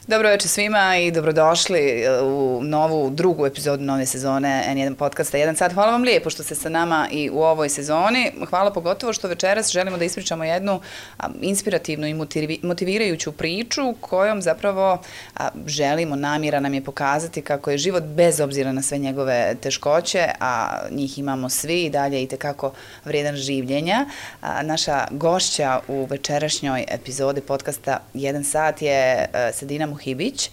Dobro večer svima i dobrodošli u novu, drugu epizodu nove sezone N1 podcasta 1 sat. Hvala vam lijepo što ste sa nama i u ovoj sezoni. Hvala pogotovo što večeras želimo da ispričamo jednu inspirativnu i motivirajuću priču kojom zapravo želimo, namjera nam je pokazati kako je život bez obzira na sve njegove teškoće, a njih imamo svi i dalje itekako vrijedan življenja. Naša gošća u večerašnjoj epizodi podcasta 1 sat je Sedina Muhibić,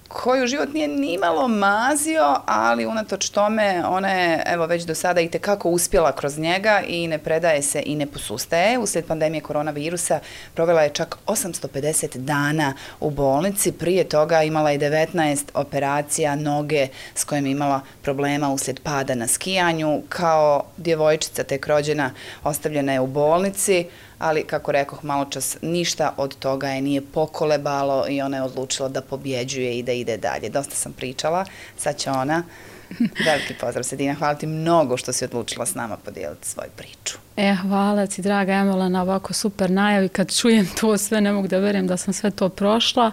koju život nije nimalo mazio, ali unatoč tome ona je evo već do sada itekako uspjela kroz njega i ne predaje se i ne posustaje. Uslijed pandemije koronavirusa provela je čak 850 dana u bolnici, prije toga imala je 19 operacija noge s kojim je imala problema uslijed pada na skijanju. Kao djevojčica tek rođena ostavljena je u bolnici, ali kako rekoh maločas, ništa od toga je nije pokolebalo i ona je odlučila da pobjeđuje i da ide dalje. Dosta sam pričala, sad će ona. Veliki pozdrav Sedina, hvala ti mnogo što si odlučila s nama podijeliti svoju priču. Hvala ti draga Emila na ovako super najavi. Kad čujem to sve ne mogu da verujem da sam sve to prošla.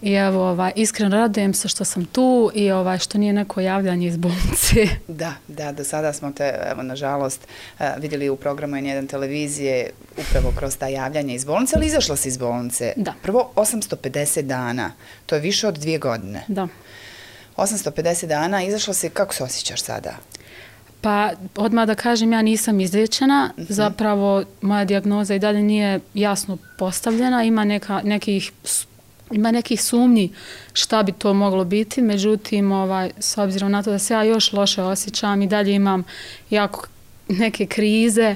I evo, iskreno radujem se što sam tu i što nije neko javljanje iz bolnice. Da, do sada smo te, evo, nažalost, vidjeli u programu N1 televizije upravo kroz ta javljanja iz bolnice, ali izašla si iz bolnice. Da. Prvo 850 dana, to je više od 2 godine. Da. 850 dana, izašla si, kako se osjećaš sada? Pa, odmah da kažem, ja nisam izliječena, zapravo moja dijagnoza i dalje nije jasno postavljena, ima nekih sumnji šta bi to moglo biti, međutim, s obzirom na to da se ja još loše osjećam i dalje imam jako neke krize,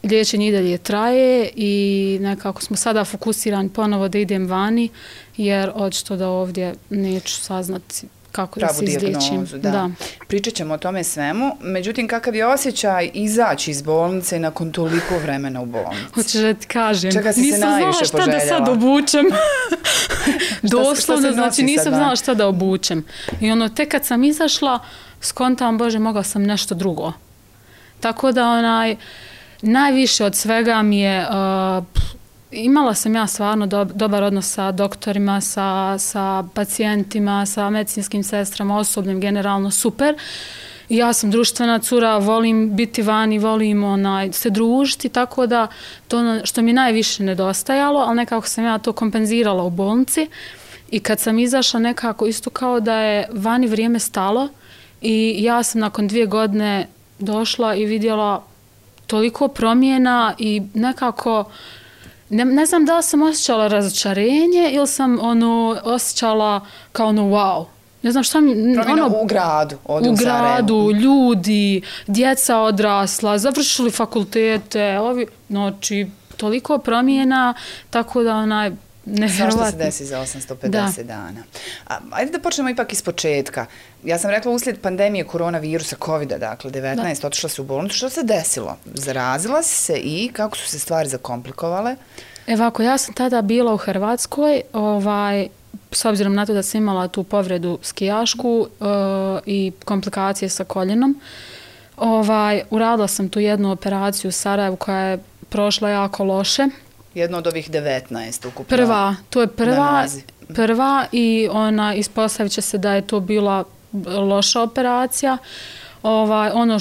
liječenje i dalje traje i nekako smo sada fokusirani ponovo da idem vani, jer očito da ovdje neću saznati kako da se izliječim. Da. Pričat ćemo o tome svemu, međutim kakav je osjećaj izaći iz bolnice nakon toliko vremena u bolnici? Hoćeš da ti kažem, čega si se najviše nisam znala šta da sad obučem. Doslovno, znači nisam znala šta da obučem. I tek kad sam izašla, skontam, Bože, mogla sam nešto drugo. Tako da najviše od svega mi je... Imala sam ja stvarno dobar odnos sa doktorima, sa pacijentima, sa medicinskim sestrama, osobljem, generalno super. Ja sam društvena cura, volim biti vani, volim se družiti, tako da to što mi najviše nedostajalo, ali nekako sam ja to kompenzirala u bolnici. I kad sam izašla nekako isto kao da je vani vrijeme stalo i ja sam nakon 2 godine došla i vidjela toliko promjena i nekako... Ne znam da li sam osjećala razočarenje ili sam osjećala kao wow. Ne znam šta mi... Promjena u gradu, ovdje u gradu, ljudi, djeca odrasla, završili fakultete, znači toliko promjena, tako da nevjerovatno. Svašta se desi za 850 dana. Ajde da počnemo ipak iz početka. Ja sam rekla uslijed pandemije koronavirusa, COVID-a, dakle 19, otišla si u bolnicu. Što se desilo? Zarazila si se i kako su se stvari zakomplikovale? Ovako, ja sam tada bila u Hrvatskoj, s obzirom na to da sam imala tu povredu skijašku i komplikacije sa koljenom. Uradila sam tu jednu operaciju u Sarajevu koja je prošla jako loše. Jedno od ovih 19 ukupno. To je prva i ispostavit će se da je to bila loša operacija. Ono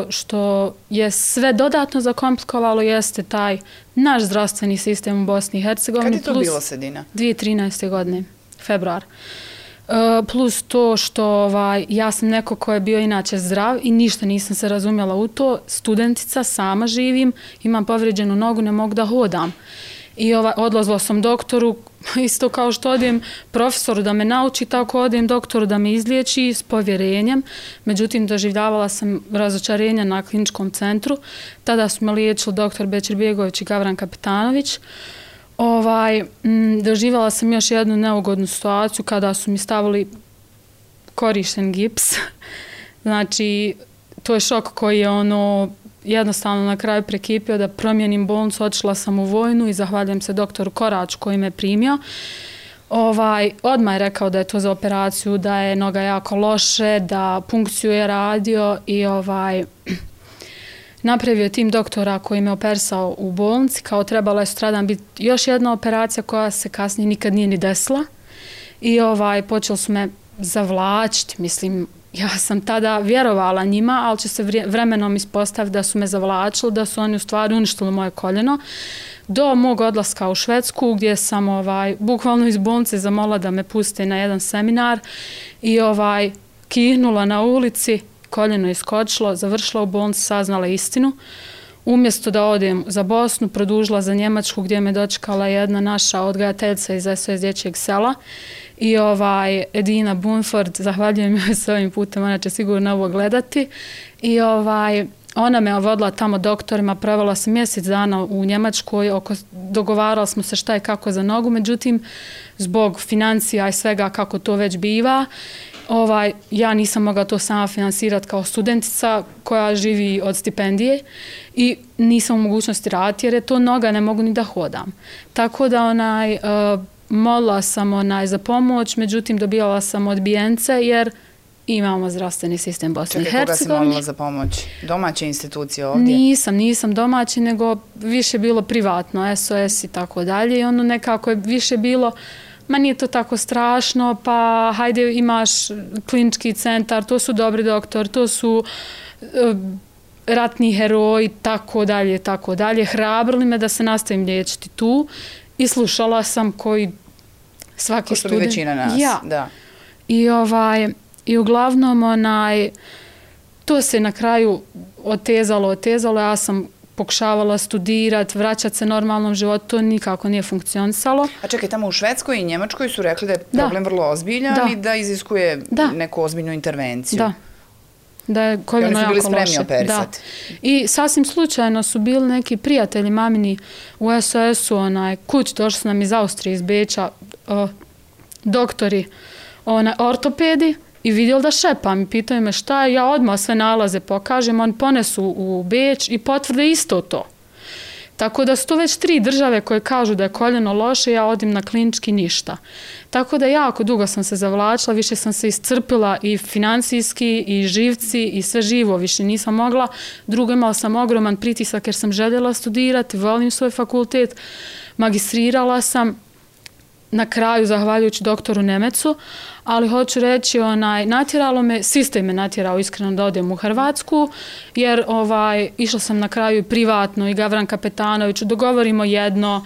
što je sve dodatno zakomplikovalo jeste taj naš zdravstveni sistem u Bosni i Hercegovini. Kad je to bilo, Sedina? 2013. godine, februar. Plus to što ja sam neko ko je bio inače zdrav i ništa nisam se razumjela u to. Studentica, sama živim, imam povrijeđenu nogu, ne mogu da hodam. I odlazila sam doktoru, isto kao što odijem profesoru da me nauči, tako odijem doktoru da me izliječi s povjerenjem. Međutim, doživljavala sam razočarenja na kliničkom centru. Tada su me liječili doktor Bećir Bjegović i Gavran Kapetanović. Doživjela sam još jednu neugodnu situaciju kada su mi stavili korišten gips. Znači, to je šok koji je jednostavno na kraju prekipio da promijenim bolnicu. Otišla sam u vojnu i zahvaljujem se doktoru Koraču koji me primio. Odmah je rekao da je to za operaciju, da je noga jako loše, da punkciju je radio i napravio tim doktora koji me operisao u bolnici, kao trebala je sutradan biti još jedna operacija koja se kasnije nikad nije ni desila. I počeli su me zavlačiti, mislim, ja sam tada vjerovala njima, ali će se vremenom ispostaviti da su me zavlačili, da su oni u stvari uništili moje koljeno. Do mog odlaska u Švedsku, gdje sam bukvalno iz bolnice zamolila da me puste na jedan seminar i kihnula na ulici, koljeno iskočilo, završila u bolnici, saznala istinu. Umjesto da odem za Bosnu, produžila za Njemačku gdje me dočekala jedna naša odgajateljica iz SOS dječjeg sela i Edina Bunford, zahvaljujem joj s ovim putem, ona će sigurno ovo gledati i ona me vodila tamo doktorima, provela sam mjesec dana u Njemačkoj, dogovarali smo se šta i kako za nogu, međutim, zbog financija i svega kako to već biva, ja nisam mogla to sama finansirati kao studentica koja živi od stipendije i nisam u mogućnosti raditi jer je to noga, ne mogu ni da hodam. Tako da molila sam za pomoć, međutim dobijala sam odbijence jer imamo zdravstveni sistem Bosne i Hercegovine. Čekaj, koga si molila za pomoć? Domaće institucije ovdje? Nisam domaći, nego više bilo privatno, SOS i tako dalje i ono nekako je više bilo ma nije to tako strašno, pa hajde imaš klinički centar, to su dobri doktor, to su ratni heroji, tako dalje. Hrabrili me da se nastavim liječiti tu i slušala sam koji svaki student... Ko što bi većina nas, da. I uglavnom to se na kraju otezalo, ja sam pokušavala studirati, vraćati se normalnom životu, to nikako nije funkcionisalo. A čekaj, tamo u Švedskoj i Njemačkoj su rekli da je problem vrlo ozbiljan i da iziskuje neku ozbiljnu intervenciju. Da je koljeno jako loše. I oni su bili spremni operisati. I sasvim slučajno su bili neki prijatelji mamini u SOS-u, kuć, došli su nam iz Austrije, iz Beča, doktori, ortopedi, i vidjeli da šepam i pitaju me šta je, ja odmah sve nalaze pokažem, oni ponesu u Beč i potvrde isto to. Tako da su to već 3 države koje kažu da je koljeno loše, ja odim na klinički ništa. Tako da jako dugo sam se zavlačila, više sam se iscrpila i financijski i živci i sve živo, više nisam mogla. Drugo, imala sam ogroman pritisak jer sam željela studirati, volim svoj fakultet, magistrirala sam, na kraju, zahvaljujući doktoru Nemecu, ali hoću reći, natjeralo me, sistem me natjerao iskreno da odem u Hrvatsku, jer išla sam na kraju privatno i Gavran Kapetanoviću, dogovorimo jedno,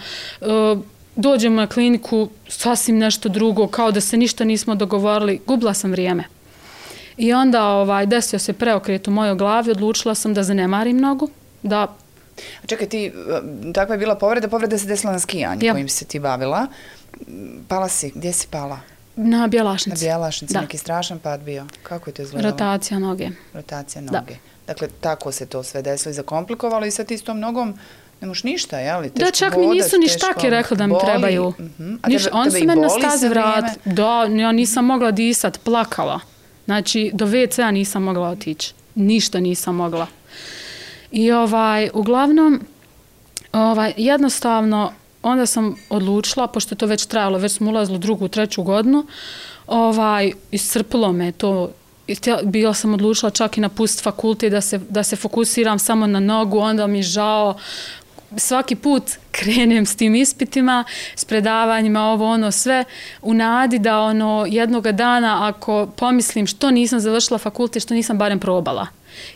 dođemo na kliniku, sasvim nešto drugo, kao da se ništa nismo dogovorili, gubila sam vrijeme. I onda desio se preokret u mojoj glavi, odlučila sam da zanemarim nogu, da... A čekaj, takva je bila povreda se desila na skijanju kojim se ti bavila. Pala si, gdje si pala? Na Bjelašnici. Na Bjelašnici, neki strašan pad bio. Kako je to izgledalo? Rotacija noge. Dakle, tako se to sve desilo i zakomplikovalo i sad ti s tom nogom ne moš ništa, jel? Da, čak mi nisu ni štake rekli da mi trebaju. Oni su mene na stazi vratili. Da, ja nisam mogla disat, plakala. Znači, do WC-a nisam mogla otići. Ništa nisam mogla. I uglavnom, jednostavno, onda sam odlučila, pošto je to već trajalo, već smo ulazili u 2., 3. godinu, iscrpilo me to. Bila sam odlučila čak i napustiti fakultet da se fokusiram samo na nogu, onda mi žao. Svaki put krenem s tim ispitima, s predavanjima, sve, u nadi da jednoga dana ako pomislim što nisam završila fakultet, što nisam barem probala.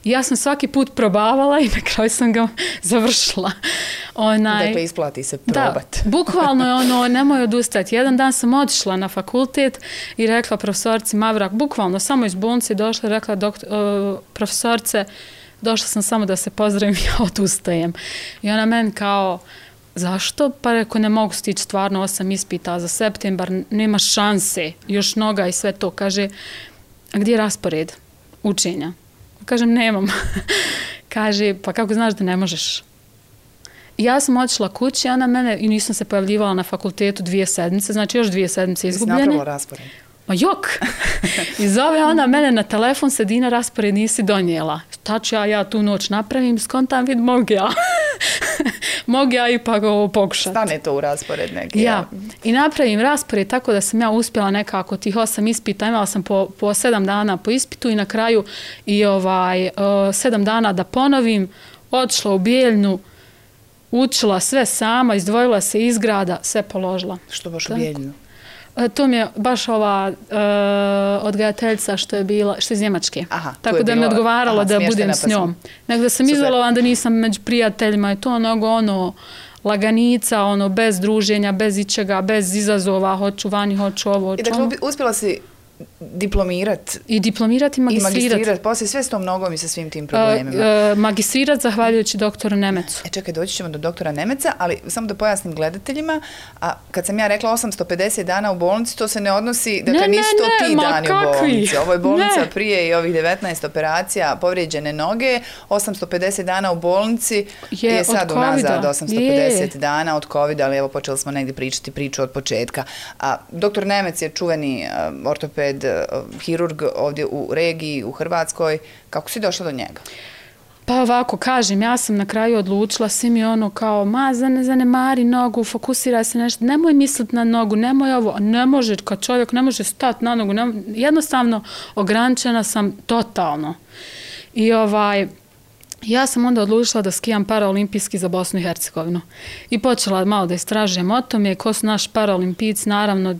I ja sam svaki put probavala i na kraju sam ga završila. Dakle, isplati se probat. Da, bukvalno je nemoj odustati. Jedan dan sam otišla na fakultet i rekla profesorci Mavrak, bukvalno samo iz bolnice došla i rekla profesorce, došla sam samo da se pozdravim, ja odustajem. I ona meni kao, zašto? Pa reko, ne mogu stići stvarno 8 ispita za septembar, nema šanse, još noga i sve to. Kaže, a gdje je raspored učenja? Kažem, nemam. Kaže, pa kako znaš da ne možeš? I ja sam otišla kući, ona mene, i nisam se pojavljivala na fakultetu 2 sedmice, znači još 2 sedmice izgubljene. Jesi napravila raspored? Ma jok! I zove ona mene na telefon, Sedina, raspored nisi donijela. Šta ću ja tu noć napravim, skontam vid, mogu ja. Mogu ja ipak ovo pokušati. Stane to u raspored neki. Ja. I napravim raspored tako da sam ja uspjela nekako tih 8 ispita. Imala sam po 7 dana po ispitu i na kraju i 7 dana da ponovim. otišla u Bijeljnu, učila sve sama, izdvojila se iz grada, sve položila. Što baš u Bijeljnu? To mi je baš ova odgajateljica što je iz Njemačke. Aha, tako da mi je odgovaralo da budem s njom. Nego da sam izolovan, da nisam među prijateljima. Je to laganica, bez druženja, bez ičega, bez izazova, hoću vani, hoću ovo, hoću ono. I dakle, uspjela si diplomirat. I diplomirat i magistrirat. Poslije sve s tom nogom i sa svim tim problemima. Magistrirat zahvaljujući doktoru Nemecu. Čekaj, doći ćemo do doktora Nemeca, ali samo da pojasnim gledateljima, a kad sam ja rekla 850 dana u bolnici, to se ne odnosi, dakle nisu to ti dani u bolnici. Ovo je bolnica prije i ovih 19 operacija, povrijeđene noge, 850 dana u bolnici je sad unazad 850 dana od COVID, ali evo počeli smo negdje pričati priču od početka. A doktor Nemec je čuveni ortoped, hirurg ovdje u regiji, u Hrvatskoj. Kako si došla do njega? Pa ovako, kažem, ja sam na kraju odlučila, svi mi kao, zanemari nogu, fokusiraj se nešto, nemoj misliti na nogu, nemoj ovo, ne može, kad čovjek ne može stati na nogu, jednostavno ograničena sam totalno. I ja sam onda odlučila da skijam paraolimpijski za Bosnu i Hercegovinu. I počela malo da istražujem o tome, ko su naši paraolimpijci, naravno,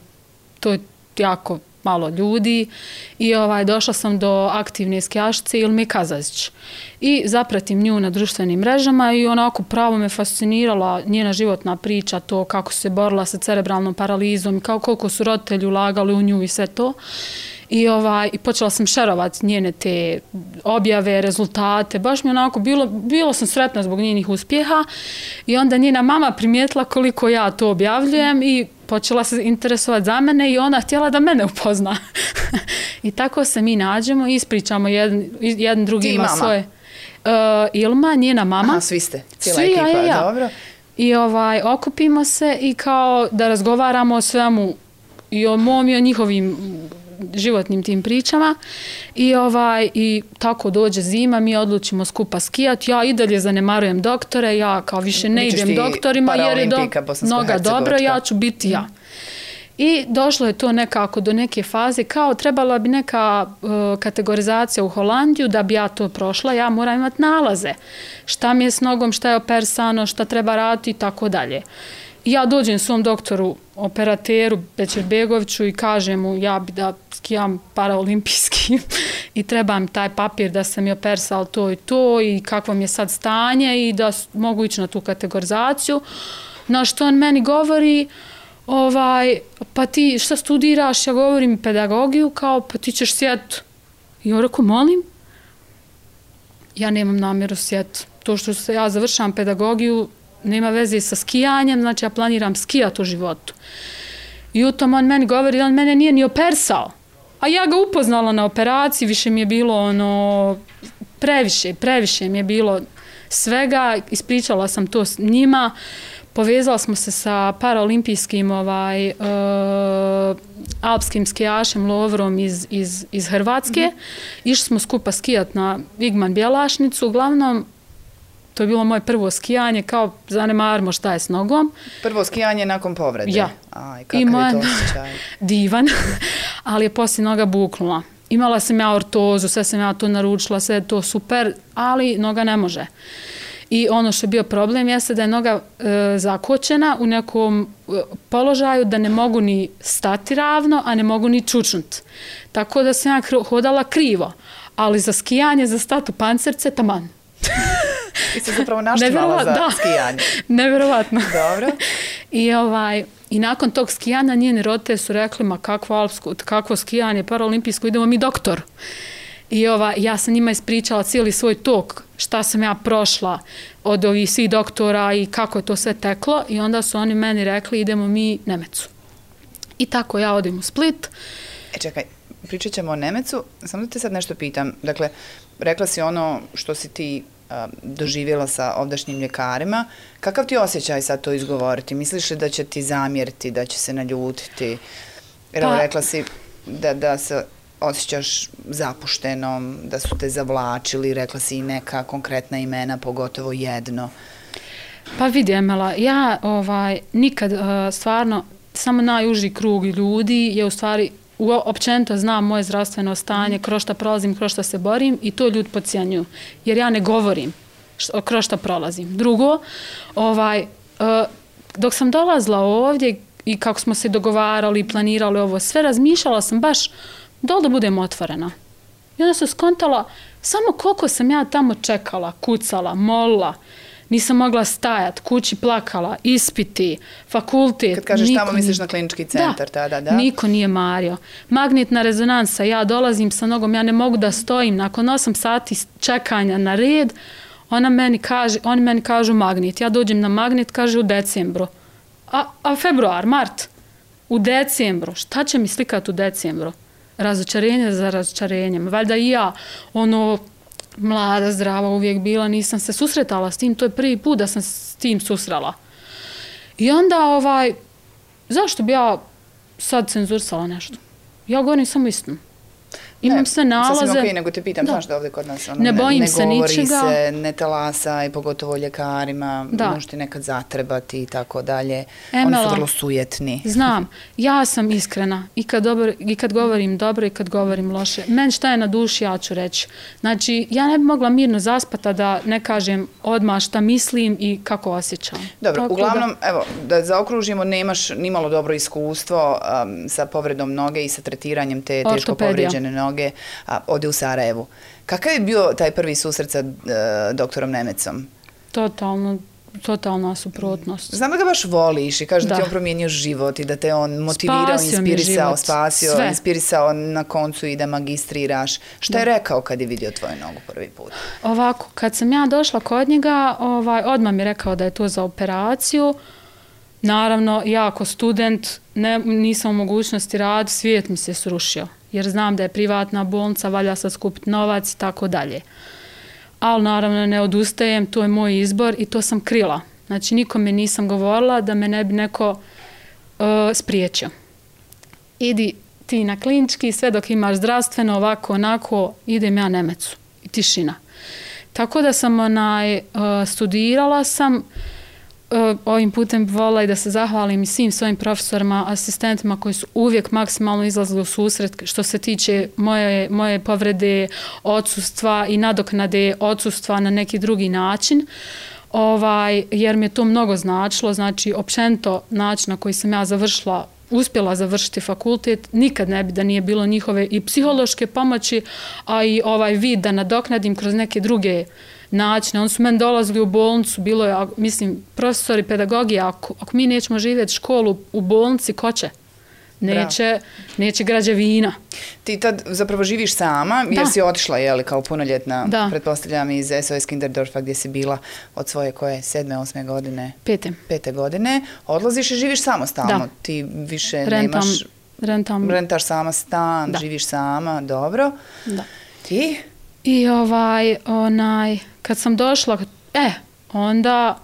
to je jako malo ljudi i došla sam do aktivne skijašice Ilme Kazazić. I zapratim nju na društvenim mrežama i onako pravo me fascinirala njena životna priča, to kako se borila sa cerebralnom paralizom i koliko su roditelji ulagali u nju i sve to. I počela sam šerovati njene te objave, rezultate. Baš mi onako bilo sam sretna zbog njenih uspjeha i onda njena mama primijetila koliko ja to objavljujem i počela se interesovati za mene i ona htjela da mene upozna. I tako se mi nađemo i ispričamo jedan drugima svoje. Ilma, njena mama. Aha, svi ste, cijela ekipa, dobro. I okupimo se i kao da razgovaramo o svemu i o mom i o njihovim životnim tim pričama i tako dođe zima, mi odlučimo skupa skijati, ja i dalje zanemarujem doktore, ja kao više ne idem doktorima jer je noga dobro, ja ću biti ja. I došlo je to nekako do neke faze, kao trebala bi neka kategorizacija u Holandiju da bi ja to prošla, ja moram imati nalaze. Šta mi je s nogom, šta je operisano, šta treba raditi i tako dalje. I ja dođem svom doktoru, operateru Bećirbegoviću i kažem mu ja bi da skijam paraolimpijski i treba mi taj papir da sam mi operisala to i to i kakvo mi je sad stanje i da mogu ići na tu kategorizaciju. Na što on meni govori, pa ti šta studiraš, ja govorim pedagogiju, kao pa ti ćeš sjet. I ja rekao, molim, ja nemam namjeru sjet. To što ja završavam pedagogiju, nema veze sa skijanjem, znači ja planiram skijati u životu. I u tom on meni govori, on mene nije ni operisao. A ja ga upoznala na operaciji, više mi je bilo previše mi je bilo svega, ispričala sam to s njima, povezala smo se sa paraolimpijskim alpskim skijašem Lovrom iz Hrvatske. Išli smo skupa skijati na Igman Bjelašnicu, uglavnom to je bilo moje prvo skijanje, kao zanemarimo šta je s nogom. Prvo skijanje nakon povrede? Ja. Aj, kakav je to osjećaj? Divan, ali je poslije noga buknula. Imala sam ja ortozu, sve sam ja to naručila, sve je to super, ali noga ne može. I ono što je bio problem jeste da je noga zakočena u nekom položaju da ne mogu ni stati ravno, a ne mogu ni čučnuti. Tako da sam ja hodala krivo, ali za skijanje, za statu pancerce, taman. I se zapravo naštivala za skijanje. Nevjerovatno. Dobro. I nakon tog skijanja njeni roditelji su rekli, ma kakvo skijanje, paraolimpijsko, idemo mi doktor. I ja sam njima ispričala cijeli svoj tok, šta sam ja prošla od ovih svih doktora i kako je to sve teklo. I onda su oni meni rekli, idemo mi Nemecu. I tako ja odim u Split. Čekaj, pričat ćemo o Nemecu. Samo da te sad nešto pitam. Dakle, rekla si ono što si ti doživjela sa ovdašnjim ljekarima. Kakav ti osjećaj sad to izgovoriti? Misliš li da će ti zamjeriti, da će se naljutiti? Jer rekla si da se osjećaš zapuštenom, da su te zavlačili, rekla si i neka konkretna imena, pogotovo jedno. Pa vidi, Emela, ja nikad stvarno, samo najuži krug ljudi je u stvari općenito znam moje zdravstveno stanje, kroz šta prolazim, kroz šta se borim i to ljudi podcijenjuju. Jer ja ne govorim kroz šta prolazim. Drugo, dok sam dolazila ovdje i kako smo se dogovarali i planirali ovo sve, razmišljala sam baš da budem otvorena. I onda sam skontala samo koliko sam ja tamo čekala, kucala, molila, nisam mogla stajat, kući plakala, ispiti, fakultet. Kad kažeš tamo misliš na klinički centar tada, da? Niko nije mario. Magnetna rezonansa, ja dolazim sa nogom, ja ne mogu da stojim. Nakon 8 sati čekanja na red, oni meni kažu magnet. Ja dođem na magnet, kaže u decembru. A februar, mart, u decembru. Šta će mi slikati u decembru? Razočarenje za razočarenjem. Valjda i ja, mlada, zdrava uvijek bila, nisam se susretala s tim, to je prvi put da sam s tim susrela. I onda, zašto bi ja sad cenzurisala nešto? Ja govorim samo istinu. Imam sve nalaze. Sasvim okej, nego te pitam, znaš da ovdje kod nas ne bojim se ničega. Ne govori se, ne talasa i pogotovo ljekarima, može ti nekad zatrebati i tako dalje. Oni su vrlo sujetni. Znam, ja sam iskrena i kad govorim dobro i kad govorim loše. Meni šta je na duši, ja ću reći. Znači, ja ne bi mogla mirno zaspata da ne kažem odmah šta mislim i kako osjećam. Dobro, uglavnom, evo, da zaokružimo, nemaš nimalo dobro iskustvo sa povredom noge i sa tretiranjem te teško povređene noge. Ovdje u Sarajevu. Kakav je bio taj prvi susret sa doktorom Nemecom? Totalna suprotnost. Znam da ga baš voliš i kaže da ti on promijenio život i da te on motivirao, inspirisao, spasio, inspirisao na koncu i da magistriraš. Šta je rekao kad je vidio tvoju nogu prvi put? Ovako, kad sam ja došla kod njega, odmah mi je rekao da je to za operaciju. Naravno, ja ako student nisam u mogućnosti raditi, svijet mi se srušio. Jer znam da je privatna bolnica, valja sad skupiti novac i tako dalje. Ali naravno ne odustajem, to je moj izbor i to sam krila. Znači nikome nisam govorila da me ne bi neko spriječio. Idi ti na klinički, sve dok imaš zdravstveno, ovako, onako, idem ja Nemecu. I tišina. Tako da sam studirala sam, ovim putem volila i da se zahvalim i svim svojim profesorima, asistentima koji su uvijek maksimalno izlazili u susret što se tiče moje povrede, odsustva i nadoknade odsustva na neki drugi način. Jer mi je to mnogo značilo, znači općenito način na koji sam ja uspjela završiti fakultet, nikad ne bi da nije bilo njihove i psihološke pomoći, a i vid da nadoknadim kroz neke druge načine. Oni su meni dolazili u bolnicu, bilo je, mislim, profesori pedagogije, ako mi nećemo živjeti školu u bolnici, ko će? Neće građevina. Ti tad zapravo živiš sama, jer si otišla, kao punoljetna, pretpostavljam, iz SOS Kinderdorfa gdje si bila od svoje 7. 8. godine? 5. godine. Odlaziš i živiš samostalno. Ti više nemaš... Rentaš sama stan, živiš sama, dobro. Da. I? I kad sam došla, onda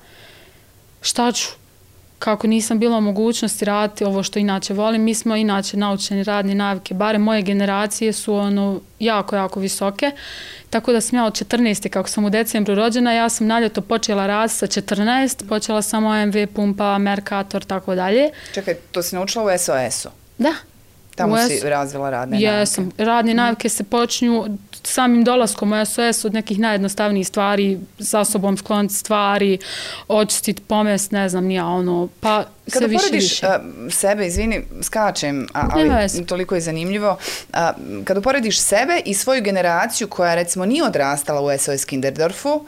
šta ću? Kako nisam bila u mogućnosti raditi ovo što inače volim, mi smo inače naučeni radne navike, bare moje generacije su jako, jako visoke, tako da sam ja od 14. kako sam u decembru rođena, ja sam na ljeto počela raditi sa 14, počela sam OMV, pumpa, Mercator, tako dalje. Čekaj, to si naučila u SOS-u? Da. Tamo si razvila radne navike? Jesam. Radne navike se počinju samim dolaskom u SOS od nekih najjednostavnijih stvari, sa sobom skloniti stvari, očistiti, pomest, ne znam, pa sve više. Kada porediš sebe, izvini, skačem, ali toliko je zanimljivo, kada porediš sebe i svoju generaciju koja recimo nije odrastala u SOS Kinderdorfu,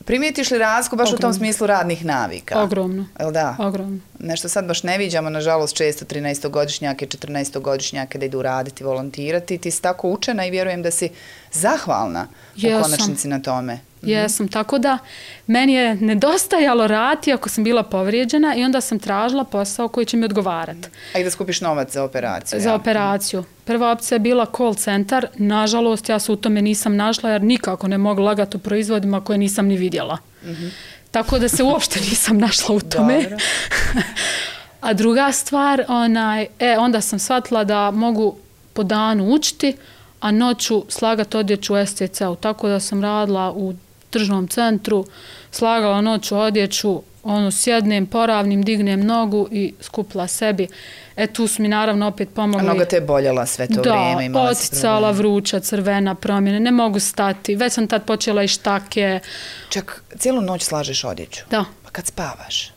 primijetiš li razliku baš u tom smislu radnih navika? Ogromno. Jel da? Ogromno. Nešto sad baš ne viđamo, nažalost, često 13-godišnjake, 14-godišnjake da idu raditi, volontirati. Ti si tako učena i vjerujem da si zahvalna u konačnici na tome. Jesam, tako da meni je nedostajalo rati ako sam bila povrijeđena i onda sam tražila posao koji će mi odgovarati. A i da skupiš novac za operaciju? Za operaciju. Prva opcija je bila call centar. Nažalost, ja se u tome nisam našla jer nikako ne mogu lagati u proizvodima koje nisam ni vidjela. Tako da se uopšte nisam našla u tome. A druga stvar, onda sam shvatila da mogu po danu učiti, a noću slagati odjeću u STC-u. Tako da sam radila u tržnom centru, slagala noću odjeću, sjednem, poravnim, dignem nogu i skupila sebi. Tu su mi naravno opet pomogli. A noga te je boljela sve to vrijeme? Da, oticala, vruća, crvena, promjene, ne mogu stati. Već sam tad počela i štake. Čak, cijelu noć slažeš odjeću? Da. Pa kad spavaš?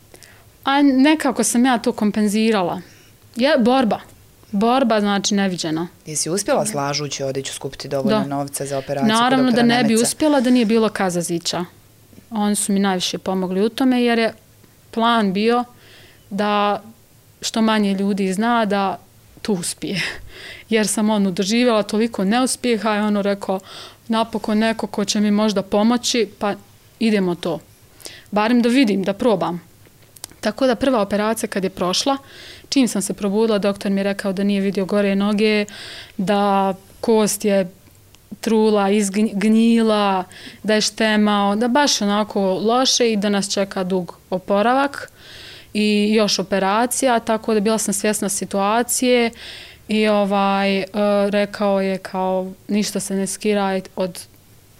A nekako sam ja to kompenzirala. Borba znači neviđena. Jesi uspjela slažući odjeću skupiti dovoljno novca za operaciju kod Naravno doktora da ne bi Nemeca? uspjela da nije bilo Kazazića. Oni su mi najviše pomogli u tome jer je plan bio da što manje ljudi zna da tu uspije. Jer sam doživjela toliko neuspjeha i rekao napokon neko ko će mi možda pomoći, pa idemo to. Barem da vidim, da probam. Tako da prva operacija kad je prošla, čim sam se probudila, doktor mi je rekao da nije vidio gore noge, da kost je trula, izgnjila, da je štemao, da baš onako loše i da nas čeka dug oporavak i još operacija, tako da bila sam svjesna situacije i rekao je kao ništa se ne skiraj od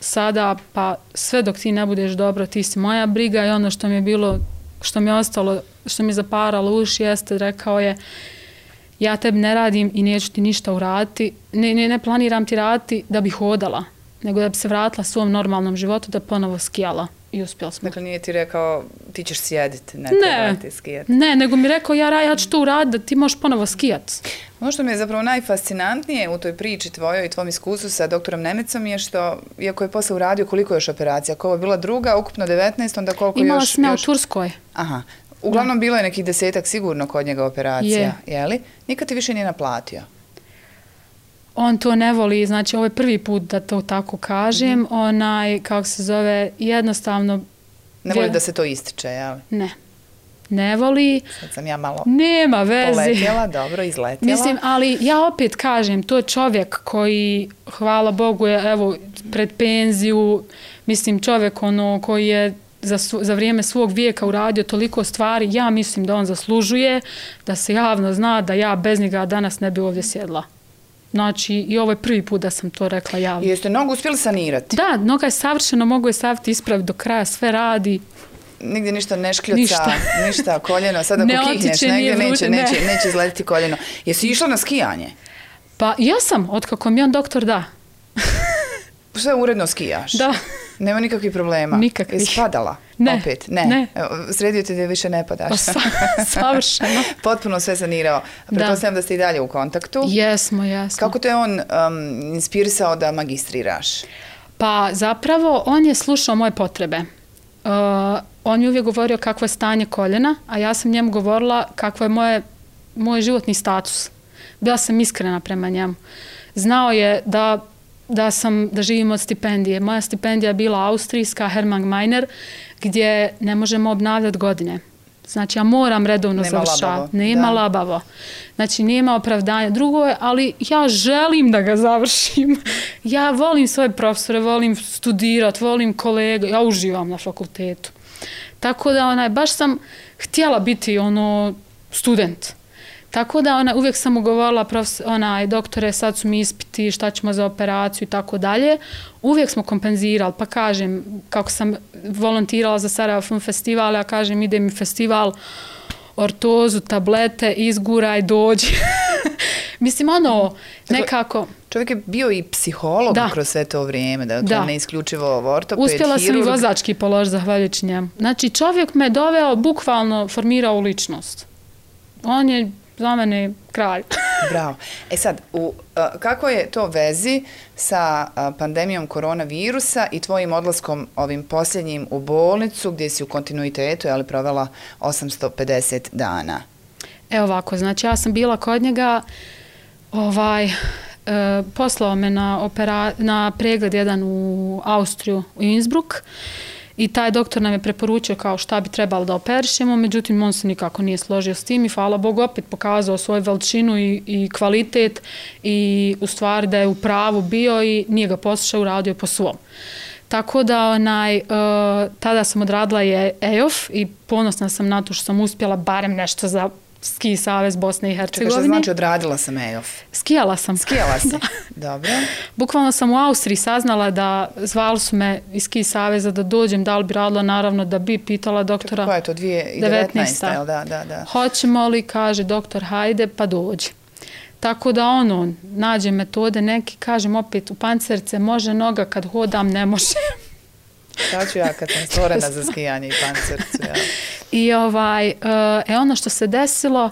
sada, pa sve dok ti ne budeš dobro, ti si moja briga i ono što mi je bilo, što mi je ostalo, što mi je zaparalo uši jeste, rekao je ja tebi ne radim i neću ti ništa uraditi, ne planiram ti raditi da bi hodala, nego da bi se vratila svom normalnom životu, da ponovo skijala. I uspjeli smo. Dakle, nije ti rekao ti ćeš sjediti, ne treba ti skijati. Ne, nego mi rekao ja ću to uraditi da ti možeš ponovo skijati. Ono što mi je zapravo najfascinantnije u toj priči tvojoj i tvom iskustvu sa doktorom Nemecom je što, iako je posle uradio koliko još operacija, ako ovo je bila druga, ukupno 19, onda koliko Imala još... sam ja u Turskoj. Aha. Uglavnom bilo je nekih 10-ak sigurno kod njega operacija, jeli? Nikad ti više nije naplatio? On to ne voli, znači ovo je prvi put da to tako kažem, kako se zove, jednostavno... Ne voli da se to ističe, jel? Ne voli. Sad sam ja malo nema veze. Poletjela, dobro, izletjela. Mislim, ali ja opet kažem, to je čovjek koji, hvala Bogu, je evo pred penziju, mislim čovjek koji je za vrijeme svog vijeka uradio toliko stvari, ja mislim da on zaslužuje, da se javno zna da ja bez njega danas ne bi ovdje sjedla. Znači, i ovo je prvi put da sam to rekla javno. Jeste nogu uspjeli sanirati? Da, noga je savršeno, mogu je staviti ispraviti do kraja, sve radi. Nigdje ništa ne škljuca, ništa, koljeno, sad ako kihneš negdje neće izletiti koljeno. Jesi išla na skijanje? Pa ja sam, otkako mi on doktor da. Sve uredno skijaš? Da. Nema nikakvih problema? Nikakvih. Jesi padala? Ne. Opet? Ne. Sredio ti da više ne padaš? Pa savršeno. Potpuno sve sanirao. Pretpostavljam da ste i dalje u kontaktu. Jesmo. Kako te on inspirisao da magistriraš? Pa zapravo on je slušao moje potrebe. On mi uvijek govorio kakvo je stanje koljena, a ja sam njemu govorila kakvo je moj životni status. Bila sam iskrena prema njemu. Znao je da živim od stipendije. Moja stipendija je bila austrijska, Hermann Meiner, gdje ne možemo obnavljati godine. Znači, ja moram redovno završavati. Nema labavo. Znači, nema opravdanja. Drugo je, ali ja želim da ga završim. Ja volim svoje profesore, volim studirati, volim kolege. Ja uživam na fakultetu. Tako da, baš sam htjela biti student. Tako da uvijek sam mu govorila, doktore, sad su mi ispiti, šta ćemo za operaciju i tako dalje. Uvijek smo kompenzirali, pa kažem, kako sam volontirala za Sarajevo Film Festival, ja kažem, ide mi festival, ortozu, tablete, izguraj, dođi. Mislim, nekako... Čovjek je bio i psiholog kroz sve to vrijeme, dakle ne isključivo ortoped, uspjela sam i vozački položiti zahvaljujući njemu. Znači, čovjek me doveo, bukvalno formirao u ličnost. On je za mene kralj. Bravo. Sad, kako je to vezi sa pandemijom koronavirusa i tvojim odlaskom ovim posljednjim u bolnicu gdje si u kontinuitetu provela 850 dana? Evo ovako, znači ja sam bila kod njega, poslao me na pregled jedan u Austriju, u Innsbruck, i taj doktor nam je preporučio kao šta bi trebalo da operišemo, međutim on se nikako nije složio s tim i hvala Bogu opet pokazao svoju veličinu i kvalitet i u stvari da je u pravu bio i nije ga poslušao, uradio po svom. Tako da tada sam odradila je EOF i ponosna sam na to što sam uspjela barem nešto za Ski savez Bosne i Hercegovine. Čekaj, što znači odradila sam EOF? Skijala sam. Skijala si, dobro. Bukvalno sam u Austriji saznala da zvali su me iz Ski saveza da dođem, da li bi radila, naravno da bi pitala doktora. Koja je to, 2019. Jel da? Hoćemo li, kaže doktor, hajde pa dođi. Tako da nađem metode neki, kažem opet u pancerce, može noga, kad hodam ne može. Šta ću ja kad sam stvorena za skijanje i pancercu, ja. I ono što se desilo,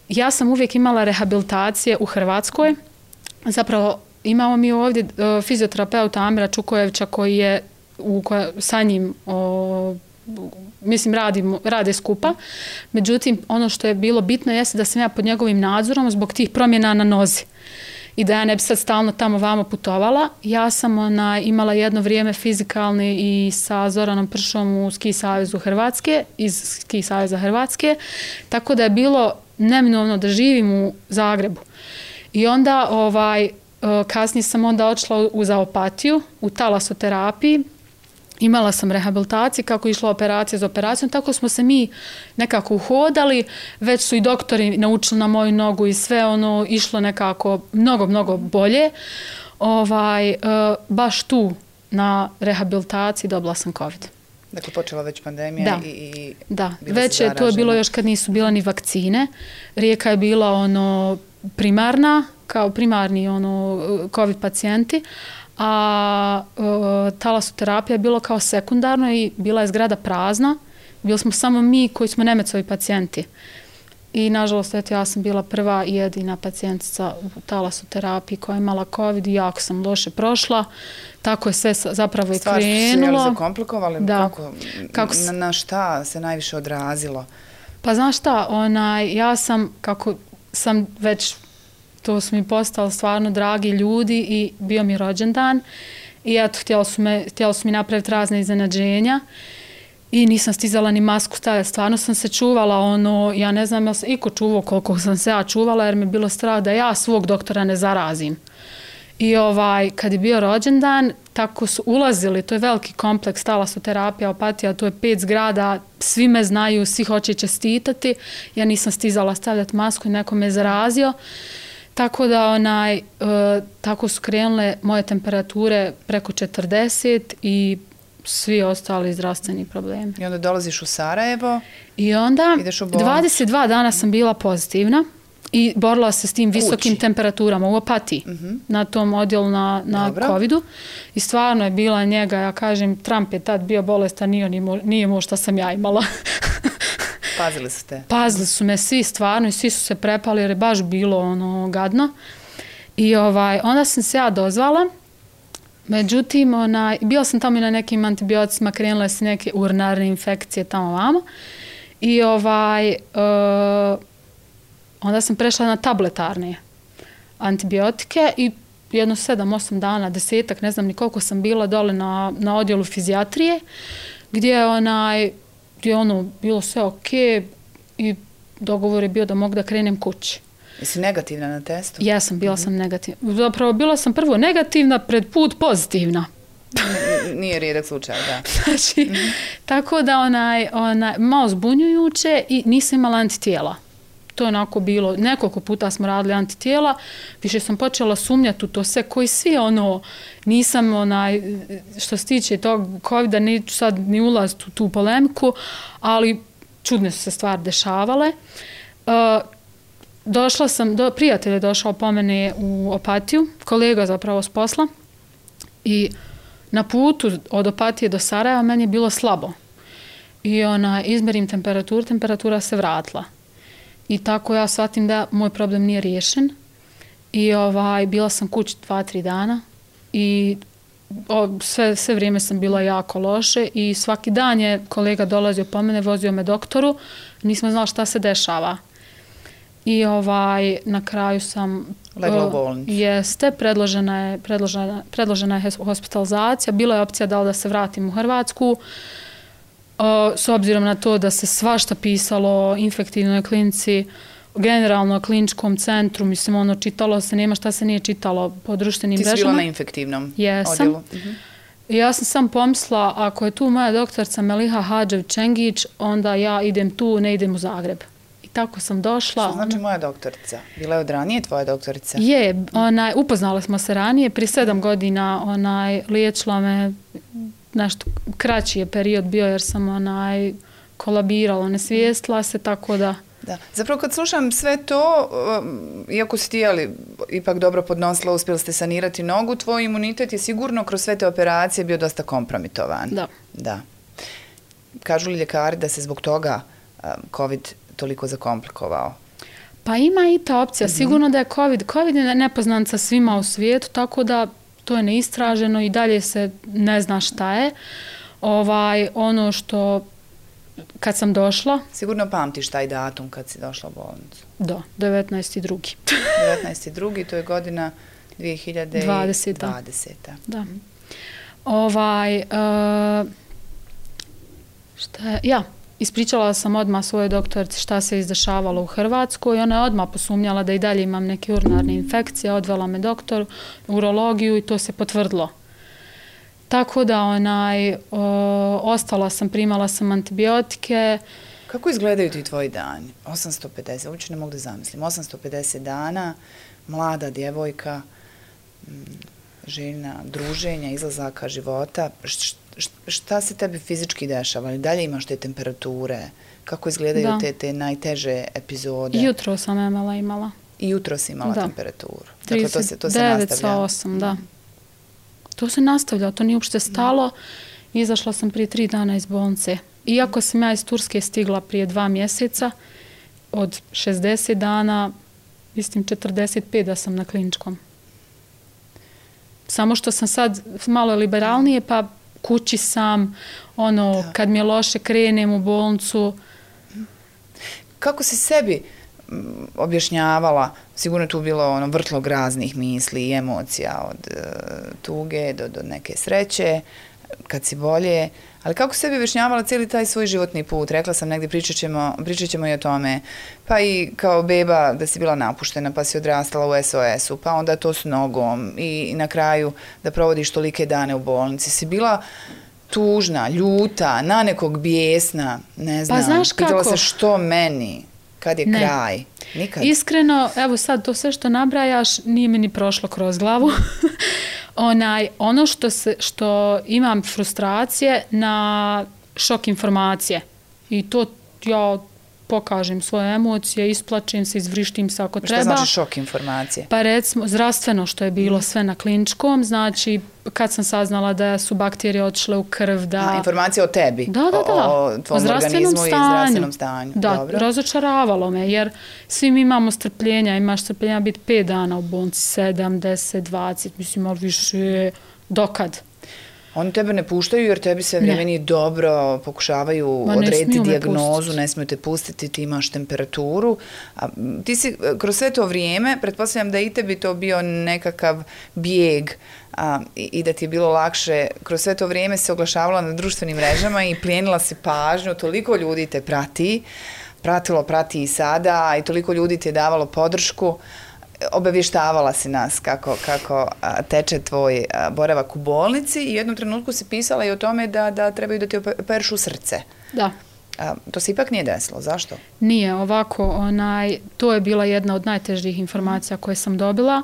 ja sam uvijek imala rehabilitacije u Hrvatskoj. Zapravo imamo mi ovdje fizioterapeuta Amira Čukojevića koji je sa njim mislim rade skupa. Međutim, ono što je bilo bitno jeste da sam ja pod njegovim nadzorom zbog tih promjena na nozi. I da ja ne bi sad stalno tamo vamo putovala. Ja sam imala jedno vrijeme fizikalni i sa Zoranom Pršom u Ski savezu Hrvatske, iz Ski saveza Hrvatske, tako da je bilo neminovno da živim u Zagrebu. I onda kasnije sam onda odšla u Opatiju, u talasoterapiji. Imala sam rehabilitaciju, kako je išla operacija za operacijom, tako smo se mi nekako uhodali, već su i doktori naučili na moju nogu i sve išlo nekako mnogo bolje. Baš tu na rehabilitaciji dobila sam COVID. Dakle, počela već pandemija i da, već je to bilo još kad nisu bila ni vakcine. Rijeka je bila primarna, kao primarni COVID pacijenti, a talasoterapija je bilo kao sekundarno i bila je zgrada prazna. Bili smo samo mi koji smo Nemecovi pacijenti. I nažalost, ja sam bila prva i jedina pacijentica u talasoterapiji koja je imala COVID i jako sam loše prošla. Tako je sve zapravo i krenulo. Stvar su se zakomplikovali? Da. Na šta se najviše odrazilo? Pa znaš šta, ja sam, kako sam već... To su mi postali stvarno dragi ljudi i bio mi rođendan i eto, htjeli su mi napraviti razne iznenađenja i nisam stizala ni masku staviti. Stvarno sam se čuvala, ja ne znam jel se iko čuvao koliko sam se ja čuvala jer mi je bilo strah da ja svog doktora ne zarazim. I kad je bio rođendan, tako su ulazili, to je veliki kompleks, talasoterapija, Opatija, to je 5 zgrada, svi me znaju, svi hoće čestitati. Ja nisam stizala stavljati masku i neko me zarazio. Tako da tako su krenule moje temperature preko 40 i svi ostali zdravstveni problemi. I onda dolaziš u Sarajevo? I onda 22 dana sam bila pozitivna i borila se s tim visokim temperaturama u Opatiji, na tom odjelu na COVID-u. I stvarno je bila njega, ja kažem, Trump je tad bio bolestan, nije imao šta sam ja imala. Pazili su te? Pazili su me svi stvarno i svi su se prepali jer je baš bilo gadno. I onda sam se ja dozvala. Međutim, bila sam tamo i na nekim antibioticima, krenule se neke urinarne infekcije tamo vamo. I onda sam prešla na tabletarne antibiotike i jedno 7-8 dana, 10-ak, ne znam ni koliko sam bila dole na odjelu fizijatrije, gdje je bilo sve okej i dogovor je bio da mogu da krenem kući. Jesi negativna na testu? Jesam, bila sam negativna. Zapravo, bila sam prvo negativna, pred put pozitivna. Nije rijedak slučaj, da. Znači, tako da malo zbunjujuće i nisam imala antitijela. To je onako bilo, nekoliko puta smo radili antitijela, više sam počela sumnjati u to sve, koji svi nisam što se tiče tog COVID-a, neću sad ni ulaziti u tu polemiku, ali čudne su se stvari dešavale. Prijatelj je došao po mene u Opatiju, kolega zapravo s posla, i na putu od Opatije do Sarajeva meni je bilo slabo. I izmerim temperaturu, temperatura se vratila. I tako ja shvatim da moj problem nije riješen. I bila sam kući 2-3 dana i sve vrijeme sam bila jako loše i svaki dan je kolega dolazio po mene, vozio me doktoru, nismo znali šta se dešava. I na kraju sam... Legla u bolnicu. Jeste, predložena je hospitalizacija, bila je opcija da se vratim u Hrvatsku, s obzirom na to da se svašta pisalo o infektivnoj klinici, generalno kliničkom centru, mislim, čitalo se, nema šta se nije čitalo po društvenim mrežama. Ti si bila na infektivnom odjelu? Ja sam sam pomislila, ako je tu moja doktorica Meliha Hadžev-Čengić, onda ja idem tu, ne idem u Zagreb. I tako sam došla. Što znači moja doktorica? Bila je od ranije tvoja doktorica? Je, upoznala smo se ranije, prije 7 godina liječila me, nešto kraći je period bio jer sam kolabirala, nesvijestila se, tako da... Da. Zapravo kad slušam sve to, iako si ti ipak dobro podnosila, uspjeli ste sanirati nogu, tvoj imunitet je sigurno kroz sve te operacije bio dosta kompromitovan. Da. Kažu li ljekari da se zbog toga COVID toliko zakomplikovao? Pa ima i ta opcija. Sigurno da je COVID. COVID je nepoznat sa svima u svijetu, tako da to je neistraženo i dalje se ne zna šta je. Ono što kad sam došla... Sigurno pamtiš taj datum kad si došla u bolnicu. Da, 19.2. 19.2. to je godina 2020. Da. Ispričala sam odmah svojoj doktorici šta se izdešavalo u Hrvatskoj i ona je odmah posumnjala da i dalje imam neke urinarne infekcije, odvela me doktor, urologiju i to se potvrdilo. Tako da ostala sam, primala sam antibiotike. Kako izgledaju ti tvoji dani? 850, uopće ne mogu da zamislim. 850 dana, mlada djevojka, željna druženja, izlazaka života. Šta se tebi fizički dešava? Dalje imaš te temperature? Kako izgledaju te najteže epizode? Jutro sam imala. I jutro si imala temperaturu? 39,8, da. To se nastavlja, to nije uopšte stalo. Izašla sam prije 3 dana iz bolnice. Iako sam ja iz Turske stigla prije 2 mjeseca, od 60 dana, mislim 45 da sam na kliničkom. Samo što sam sad malo liberalnije, pa kući sam, kad mi je loše krenem u bolnicu. Kako si sebi objašnjavala, sigurno tu bilo vrtlog raznih misli i emocija od tuge do neke sreće, kad si bolje, ali kako sebi objašnjavala cijeli taj svoj životni put? Rekla sam negdje, pričat ćemo i o tome, pa i kao beba da si bila napuštena, pa si odrastala u SOS-u, pa onda to s nogom i na kraju da provodiš tolike dane u bolnici. Si bila tužna, ljuta, na nekog bijesna, ne znam, znaš kako? Pitala se što meni, kad je kraj. Nikad. Iskreno, evo sad to sve što nabrajaš nije mi ni prošlo kroz glavu. Ono što imam frustracije na šok informacije i to ja pokažem svoje emocije, isplačim se, izvrištim se ako treba. Što znači šok informacije? Pa recimo, zdravstveno što je bilo sve na kliničkom, znači kad sam saznala da su bakterije otišle u krv, da... Informacije o tebi? Da. O tvom organizmu i zdravstvenom stanju. Da, dobro. Razočaravalo me, jer svi mi imamo strpljenja, imaš strpljenja biti 5 dana u bolnici, 7, 10, 20, mislim, ali više, dokad? Oni tebe ne puštaju jer tebi sve vrijeme nije dobro, pokušavaju odrediti dijagnozu, ne smiju te pustiti, ti imaš temperaturu. Ti si kroz sve to vrijeme, pretpostavljam da i tebi to bio nekakav bijeg i da ti je bilo lakše, kroz sve to vrijeme se oglašavala na društvenim mrežama i plijenila si pažnju, toliko ljudi te prati i sada i toliko ljudi ti je davalo podršku. Obavještavala si nas kako teče tvoj boravak u bolnici i u jednom trenutku si pisala i o tome da trebaju da ti operišu srce. Da. To se ipak nije desilo. Zašto? Nije, ovako, to je bila jedna od najtežih informacija koje sam dobila.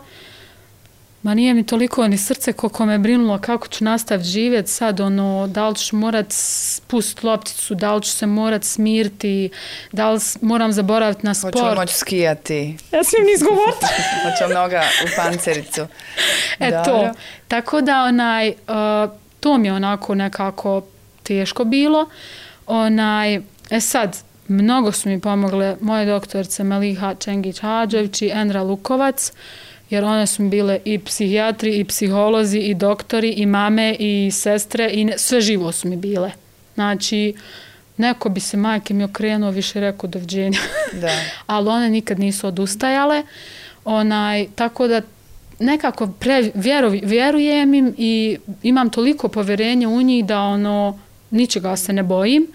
Ma nije mi toliko ni srce koliko me brinulo kako ću nastaviti živjeti sad, da li ću morat spustiti lopticu, da li ću se morat smiriti, da li moram zaboraviti na sport. Hoću li moći skijati? Ja smijem ni izgovoriti. Hoću li noga u pancericu? To. Tako da to mi je onako nekako teško bilo. Sad, mnogo su mi pomogle moje doktorice Meliha Čengić-Hadžević i Enra Lukovac, jer one su bile i psihijatri, i psiholozi, i doktori, i mame, i sestre, i sve živo su mi bile. Znači, neko bi se majke mi okrenuo, više rekao doviđenja. Ali one nikad nisu odustajale. Tako da nekako vjerujem im i imam toliko povjerenja u njih da ničega se ne bojim.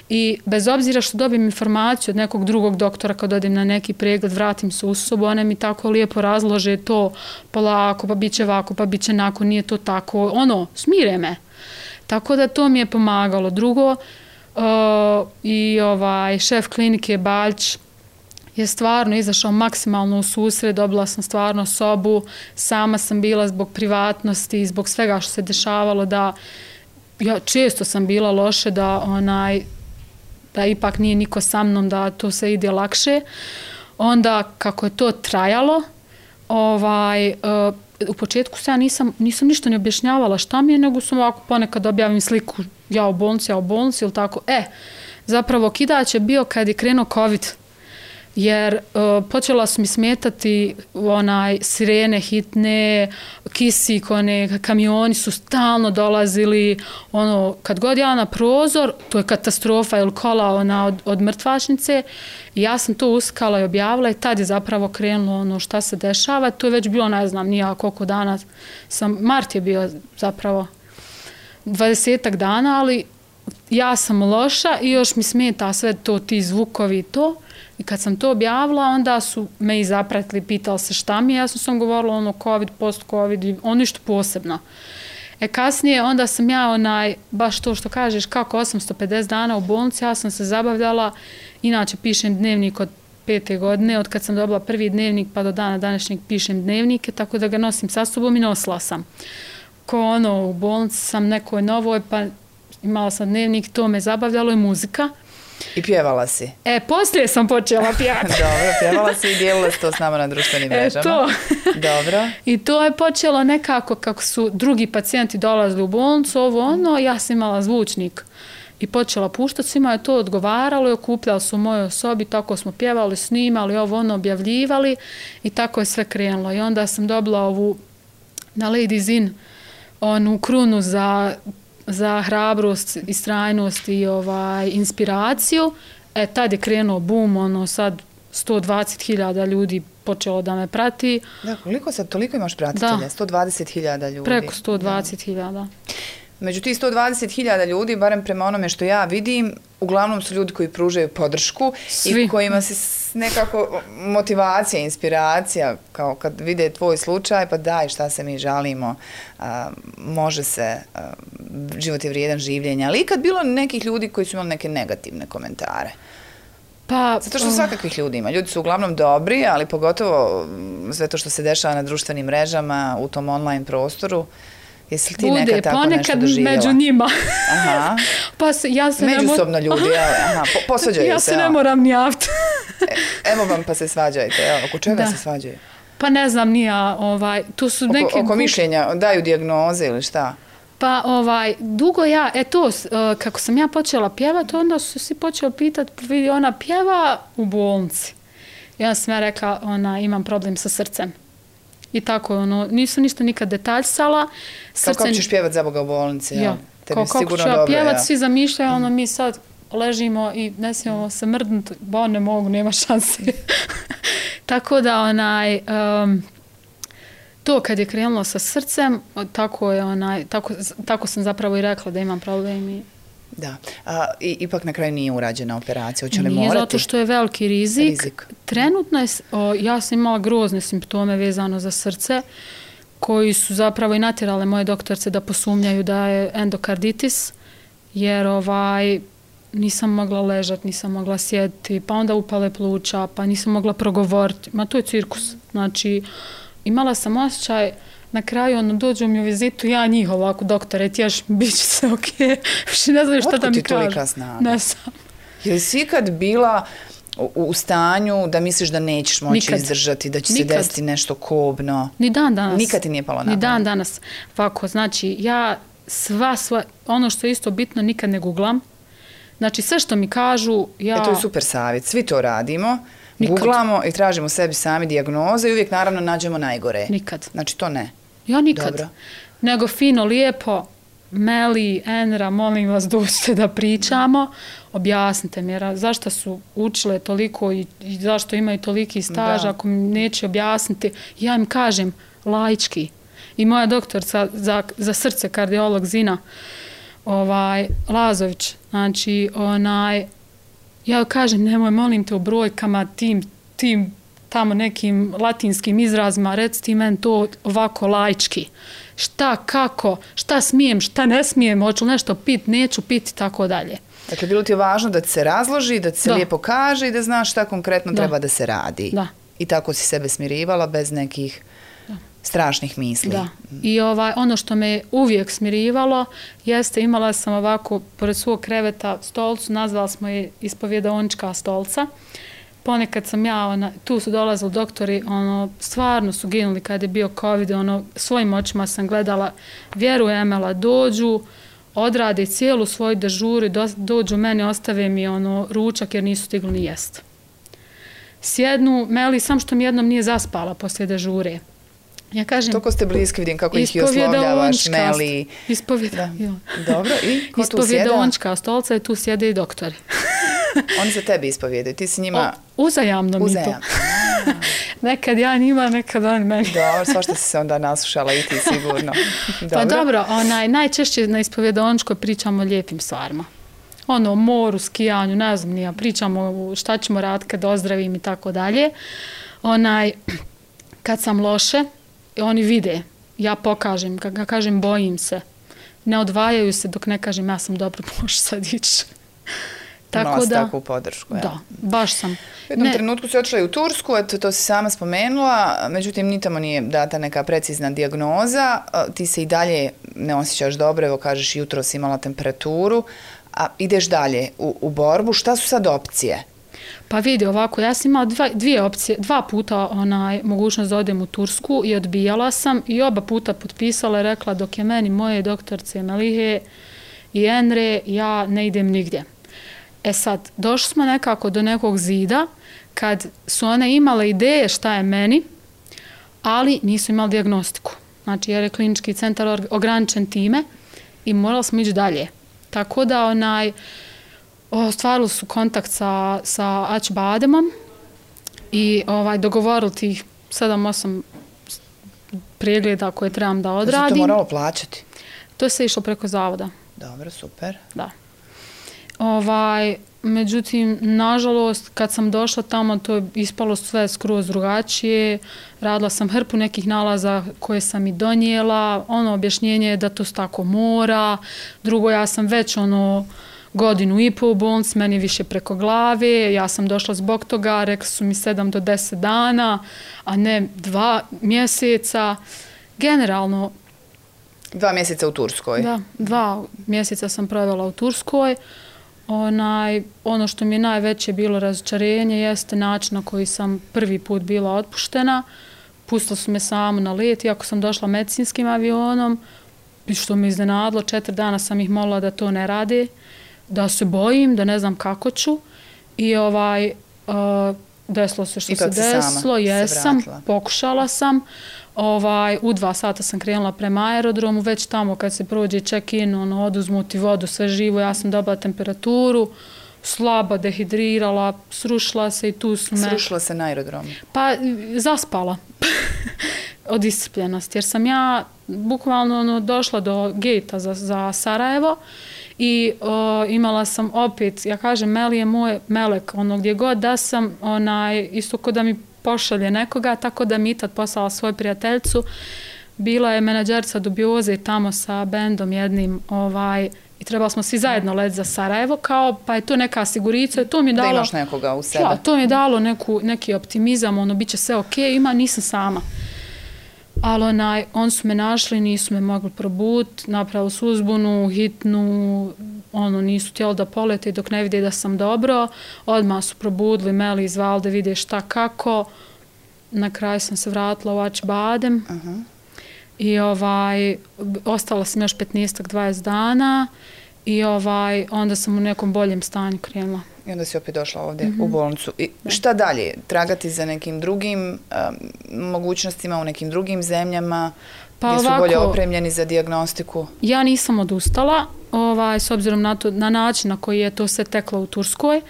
I bez obzira što dobijem informaciju od nekog drugog doktora kad odem na neki pregled, vratim se u sobu, one mi tako lijepo razlože to polako, pa bit će ovako, pa bit će onako, nije to tako, smire me. Tako da to mi je pomagalo. Drugo, i šef klinike Baljć je stvarno izašao maksimalno u susret, dobila sam stvarno sobu, sama sam bila zbog privatnosti, zbog svega što se dešavalo, da ja često sam bila loše, da ipak nije niko sa mnom, da to se ide lakše. Onda kako je to trajalo, u početku se ja nisam ništa ne objašnjavala šta mi je, nego sam ovako ponekad objavim sliku ja u bolnici ili tako. Zapravo kidač je bio kad je krenuo COVID, jer počela su mi smetati sirene hitne, kisik, kamioni su stalno dolazili, kad god ja na prozor, to je katastrofa, ili kola od mrtvačnice, i ja sam to uskala i objavila i tad je zapravo krenulo šta se dešava. To je već bilo, ne znam, nija koliko dana, mart je bio zapravo 20 dana, ali ja sam loša i još mi smeta sve to, ti zvukovi i to. I kad sam to objavila, onda su me i zapratili, pitali se šta mi je. Ja sam govorila COVID, post-COVID, ništa posebno. Kasnije, onda sam ja baš to što kažeš, kako 850 dana u bolnici, ja sam se zabavljala. Inače, pišem dnevnik od 5. godine, od kad sam dobila prvi dnevnik pa do dana današnjeg pišem dnevnike, tako da ga nosim sa sobom i nosila sam. U bolnici sam nekoj novoj, pa imala sam dnevnik, to me zabavljalo i muzika. I pjevala si? Poslije sam počela pjevati. Dobro, pjevala si i dijelila si to s nama na društvenim mrežama. To. Dobro. I to je počelo nekako kako su drugi pacijenti dolazili u bolnicu, ja sam imala zvučnik i počela puštati, svima je to odgovaralo i okupljali su u mojoj sobi, tako smo pjevali, snimali, objavljivali i tako je sve krenulo. I onda sam dobila ovu na Ladies In, onu krunu za hrabrost, istrajnost i inspiraciju. Tad je krenuo boom, sad 120.000 ljudi počelo da me prati. Da, koliko sad, toliko imaš pratitelja? 120.000 ljudi. Preko 120.000. Među tih 120.000 ljudi, barem prema onome što ja vidim, uglavnom su ljudi koji pružaju podršku. Svi. I kojima se nekako motivacija, inspiracija, kao kad vide tvoj slučaj, pa daj, šta se mi žalimo, može se, život je vrijedan življenja. Ali ikad bilo nekih ljudi koji su imali neke negativne komentare? Zato što svakakvih ljudi ima. Ljudi su uglavnom dobri, ali pogotovo sve to što se dešava na društvenim mrežama, u tom online prostoru. Jesi li ti nekad tako nešto doživjela? Među njima. Aha. Ja se međusobno ljudi, posvađaju se. Ja se ne moram ni javiti. Evo vam pa se svađajte. Oko čega se svađaju? Pa ne znam, nija. Tu su neki... Oko mišljenja, daju dijagnoze ili šta? Pa dugo kako sam ja počela pjevati, onda su svi počeli pitati, vidi, ona pjeva u bolnici. Ja sam rekla, imam problem sa srcem. I tako, nisam ništa nikad detaljsala. Kako ćeš pjevati za Boga u bolnici? Ja. Kako ću ja pjevati, svi zamišljaju, mi sad ležimo i ne smijemo se mrdnuti, ne mogu, nema šanse. Tako da, to kad je krenulo sa srcem, tako sam zapravo i rekla da imam problem. Da. Ipak na kraju nije urađena operacija. Hoće li morati? Nije, zato što je veliki rizik. Trenutno ja sam imala grozne simptome vezano za srce, koji su zapravo i natjerale moje doktorce da posumnjaju da je endokarditis, jer nisam mogla ležati, nisam mogla sjediti, pa onda upale pluća, pa nisam mogla progovoriti. To je cirkus. Znači, imala sam osjećaj, na kraju dođu mi u vizitu, ja njih ovako, doktore, tješ, bit će se okej. Ne znam šta da mi kažu. Otkud ti tolika snaga? Ne znam. Je li si ikad bila u stanju da misliš da nećeš moći izdržati, da će se desiti nešto kobno? Ni dan danas. Nikad ti nije palo na pamet? Ni dan danas. Ovako, znači, ja ono što je isto bitno, nikad ne googlam. Znači, sve što mi kažu, ja... To je super savjet. Svi to radimo. Googlamo i tražimo sebi sami dijagnoze i uvijek naravno nađemo najgore. Nikad. Znači, to ne. Ja nikad. Dobro. Nego fino, lijepo, Meli, Enra, molim vas, dođite da pričamo, objasnite mi zašto su učile toliko i zašto imaju toliki staž, ako mi neće objasniti. Ja im kažem laički. I moja doktorca za srce, kardiolog Zina Lazović, znači, ja kažem, nemoj, molim te, u brojkama, tim tamo nekim latinskim izrazima, reci ti meni to ovako laički. Šta, kako, šta smijem, šta ne smijem, hoću nešto pit, neću piti, tako dalje. Dakle, bilo ti je važno da ti se razloži, da ti se lijepo kaže i da znaš šta konkretno treba da se radi. Da. I tako si sebe smirivala bez nekih strašnih misli. Da. I ono što me uvijek smirivalo jeste, imala sam ovako pored svog kreveta stolcu, nazvala smo je ispovjedaonička stolca. Ponekad sam ja, tu su dolazili doktori, stvarno su ginuli kad je bio COVID, svojim očima sam gledala, vjerujem, dođu, odrade cijelu svoju dežuru, dođu meni, ostave mi ručak jer nisu stigli ni jest. Sjednu, Meli, sam što mi jednom nije zaspala poslije dežure. Ja kažem... Toko ste bliski, vidim kako ih i oslovljavaš, Meli. Dobro, i ko tu sjeda? Ispovjedaonička stolca i tu sjede i doktori. Oni za tebi ispovjedaju, ti si njima... Uzajamno mi to. Nekad ja njima, nekad oni meni. Dobro, svašta si se onda naslušala i ti sigurno. Pa dobro, najčešće na ispovjedaoničkoj pričamo o lijepim stvarima. O moru, skijanju, ne znam nija, pričamo šta ćemo raditi kad ozdravim i tako dalje. Kad sam loše, oni vide, ja pokažem, kad kažem bojim se, ne odvajaju se dok ne kažem ja sam dobro, može sad ići. Tako da, takvu podršku. Da, baš sam. U jednom trenutku si otišla i u Tursku, to si sama spomenula, međutim ni tamo nije data neka precizna dijagnoza, ti se i dalje ne osjećaš dobro, evo kažeš jutro si imala temperaturu, a ideš dalje u borbu, šta su sad opcije? Pa vidi ovako, ja sam imala dvije opcije, 2 puta mogućnost da odem u Tursku i odbijala sam i oba puta potpisala i rekla dok je meni moje doktorce Melihe i Enre, ja ne idem nigdje. E sad, došli smo nekako do nekog zida kad su one imale ideje šta je meni, ali nisu imali dijagnostiku. Znači, jer je klinički centar ograničen time i morali smo ići dalje. Tako da ostvarili su kontakt sa Acıbademom i dogovorili tih 7-8 pregleda koje trebam da odradim. To moralo plaćati? To se išlo preko zavoda. Dobro, super. Da. Međutim, nažalost, kad sam došla tamo, to je ispalo sve skroz drugačije. Radila sam hrpu nekih nalaza koje sam i donijela. Objašnjenje je da to tako mora. Drugo, ja sam već 1,5 godinu u bolnici, meni više preko glave. Ja sam došla zbog toga, rekli su mi 7 do 10 dana, a ne 2 mjeseca. Generalno... 2 mjeseca u Turskoj? Da, 2 mjeseca sam provela u Turskoj. Ono što mi je najveće bilo razočarenje jeste način na koji sam prvi put bila otpuštena. Pustili su me samo na let, iako sam došla medicinskim avionom, što me iznenadilo, 4 dana sam ih molila da to ne rade, da se bojim, da ne znam kako ću. I desilo se što se desilo, jesam, pokušala sam. U 2 sata sam krenula prema aerodromu, već tamo kad se prođe check-in, oduzmu ti vodu, sve živo, ja sam dobila temperaturu, slaba, dehidrirala, srušila se i tu su me... Srušila se na aerodromu? Pa, zaspala od iscrpljenosti, jer sam ja bukvalno došla do gejta za Sarajevo i imala sam opet, ja kažem, Meli je moj melek, gdje god da sam, isto ko da mi pošalje nekoga, tako da mi je tad poslala svoju prijateljicu. Bila je menadžerica dubioze tamo sa bendom jednim i trebali smo svi zajedno letiti za Sarajevo, pa je to neka sigurica. To mi je dalo, da imaš nekoga u sebe. Ja, to mi je dalo neki optimizam, bit će sve okej, nisam sama. Ali oni su me našli, nisu me mogli probuditi, napravili su uzbunu, hitnu, nisu htjeli da polete dok ne vide da sam dobro. Odmah su probudili, Meli izvali da vide šta kako. Na kraju sam se vratila u Acıbadem. I ostala sam još 15-20 dana i onda sam u nekom boljem stanju krenula. I onda si opet došla ovdje u bolnicu. I šta dalje? Tragati za nekim drugim mogućnostima u nekim drugim zemljama gdje su bolje opremljeni za dijagnostiku? Ja nisam odustala, s obzirom na način na koji je to sve teklo u Turskoj.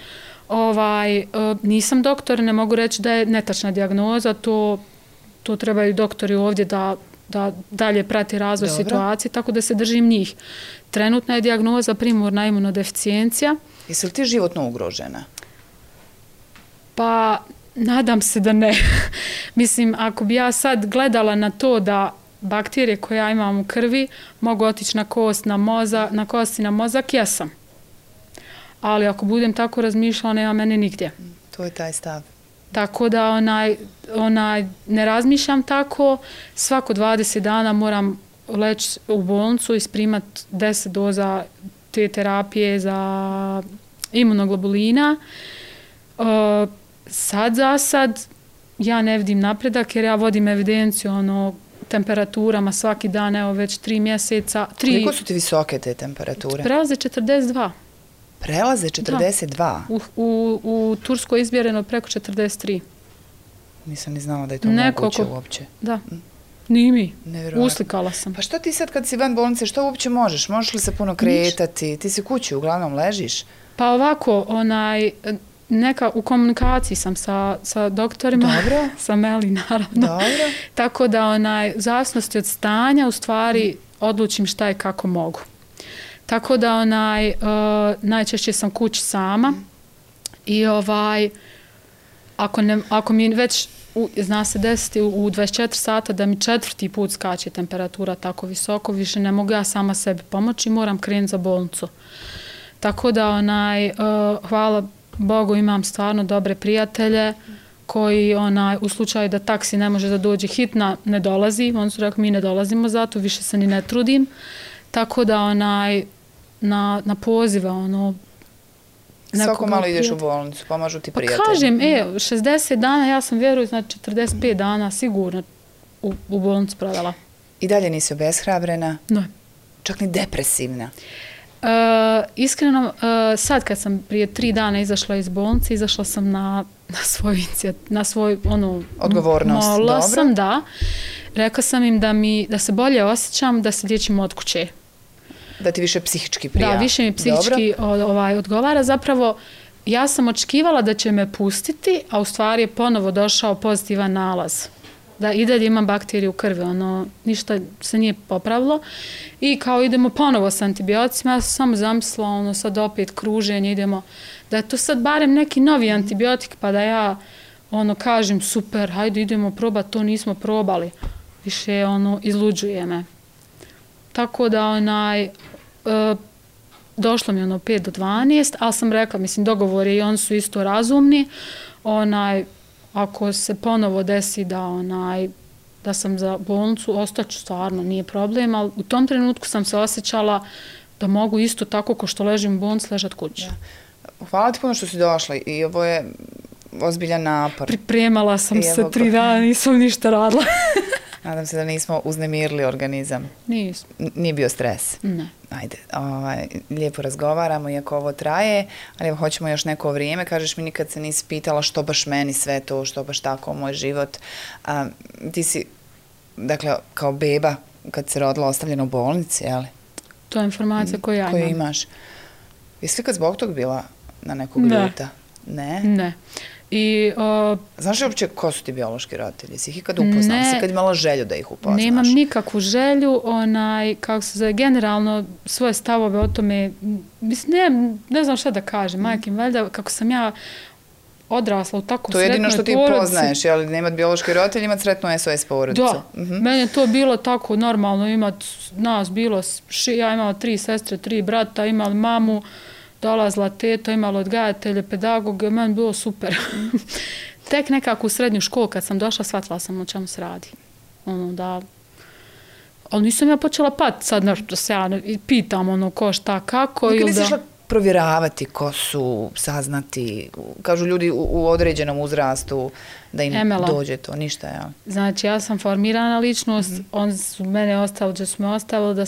Nisam doktor, ne mogu reći da je netačna dijagnoza, to trebaju doktori ovdje da dalje prati razvoj situacije, tako da se držim njih. Trenutna je dijagnoza primorna imunodeficijencija. Jesi li ti životno ugrožena? Pa Nadam se da ne. Mislim, ako bi ja sad gledala na to da bakterije koje ja imam u krvi mogu otići na kost, na kost i na mozak, jesam. Ali ako budem tako razmišljala, nema mene nigdje. To je taj stav. Tako da ne razmišljam tako. Svako 20 dana moram leći u bolnicu i isprimat 10 doza te terapije za imunoglobulina. Sad ja ne vidim napredak jer ja vodim evidenciju temperaturama svaki dan, evo već 3 mjeseca. Koliko su ti visoke te temperature? Prelaze 42. Prelaze 42? Da. U Turskoj je izmjereno preko 43. Nisam ni znala da je to moguće uopće. Da. Nije mi. Nevjerojatno. Uslikala sam. Pa što ti sad kad si van bolnice, što uopće možeš? Možeš li se puno kretati? Ti si kući, uglavnom ležiš? Pa ovako, u komunikaciji sam sa doktorima. Dobro. Sa Meli, naravno. Dobro. Tako da u zavisnosti od stanja, u stvari, odlučim šta i kako mogu. Tako da najčešće sam kući sama i ako mi već zna se desiti u 24 sata da mi 4. put skače temperatura tako visoko, više ne mogu ja sama sebi pomoći i moram krenuti za bolnicu. Tako da hvala Bogu imam stvarno dobre prijatelje koji u slučaju da taksi ne može da dođe hitna, ne dolazi. Oni su rekli mi ne dolazimo zato, više se ni ne trudim. Tako da na pozive svako malo ideš u bolnicu, pomažu ti prijatelji. Pa kažem, 60 dana, ja sam vjerujem, znači 45 dana sigurno u bolnicu provela. I dalje nisi obeshrabrena? Ne. Čak ni depresivna? Iskreno, sad kad sam prije 3 dana izašla iz bolnice, izašla sam na svoju odgovornost. Molila sam, da. Rekla sam im da se bolje osjećam, da se liječim od kuće. Da ti više psihički prija. Da, više mi psihički odgovara. Zapravo, ja sam očekivala da će me pustiti, a u stvari je ponovo došao pozitivan nalaz. Da i dalje imam bakterije u krvi, ništa se nije popravilo. I kao idemo ponovo s antibioticima, ja sam samo zamislila, sad opet kruženje, idemo, da je to sad barem neki novi antibiotik, pa da ja kažem super, hajde idemo probati, to nismo probali. Više izluđuje me. Tako da došlo mi 5 do 12, ali sam rekla, mislim, dogovor je i oni su isto razumni. Ako se ponovo desi da sam za bolnicu, ostaću stvarno, nije problem, ali u tom trenutku sam se osjećala da mogu isto tako ko što ležim u bolnici, ležat kući. Hvala ti puno što si došla i ovo je ozbiljan napor. Pripremala sam se 3 dana, nisam ništa radila. Nadam se da nismo uznemirili organizam. Nismo. Nije bio stres? Ne. Ajde, lijepo razgovaramo, iako ovo traje, ali hoćemo još neko vrijeme. Kažeš mi, nikad se nisi pitala što baš meni sve to, što baš tako moj život. Ti si, dakle, kao beba, kad se rodila, ostavljena u bolnici, jel? To je informacija koju ja imam. Koju imaš. Jesi li kad zbog tog bila na nekog ljuta? Ne. Ne. Znaš li uopće ko su ti biološki roditelji? Si ih ikad upoznala? Si kad imala želju da ih upoznaš? Nemam nikakvu želju, kako se zove, generalno svoje stavove o tome, mislim, ne znam šta da kažem, majkim, valjda, kako sam ja odrasla u tako sretnoj porodici. To je jedino što ti poznaješ, jel? Nemat biološki roditelj, imat sretnu SOS porodicu. Da, meni je to bilo tako normalno, nas bilo, ja imala 3 sestre, 3 brata, imali mamu, dolazila teta, imala odgajatelje, pedagoge, meni bilo super. Tek nekako u srednju školu kad sam došla, shvatila sam o čemu se radi. Ali nisam ja počela pati sad da se ja pitam ko šta kako. Nikad nisi išla provjeravati ko su, saznati, kažu ljudi u određenom uzrastu da im dođe to, ništa, jel? Znači, ja sam formirana ličnost, oni su mene ostavili, da su me ostavili,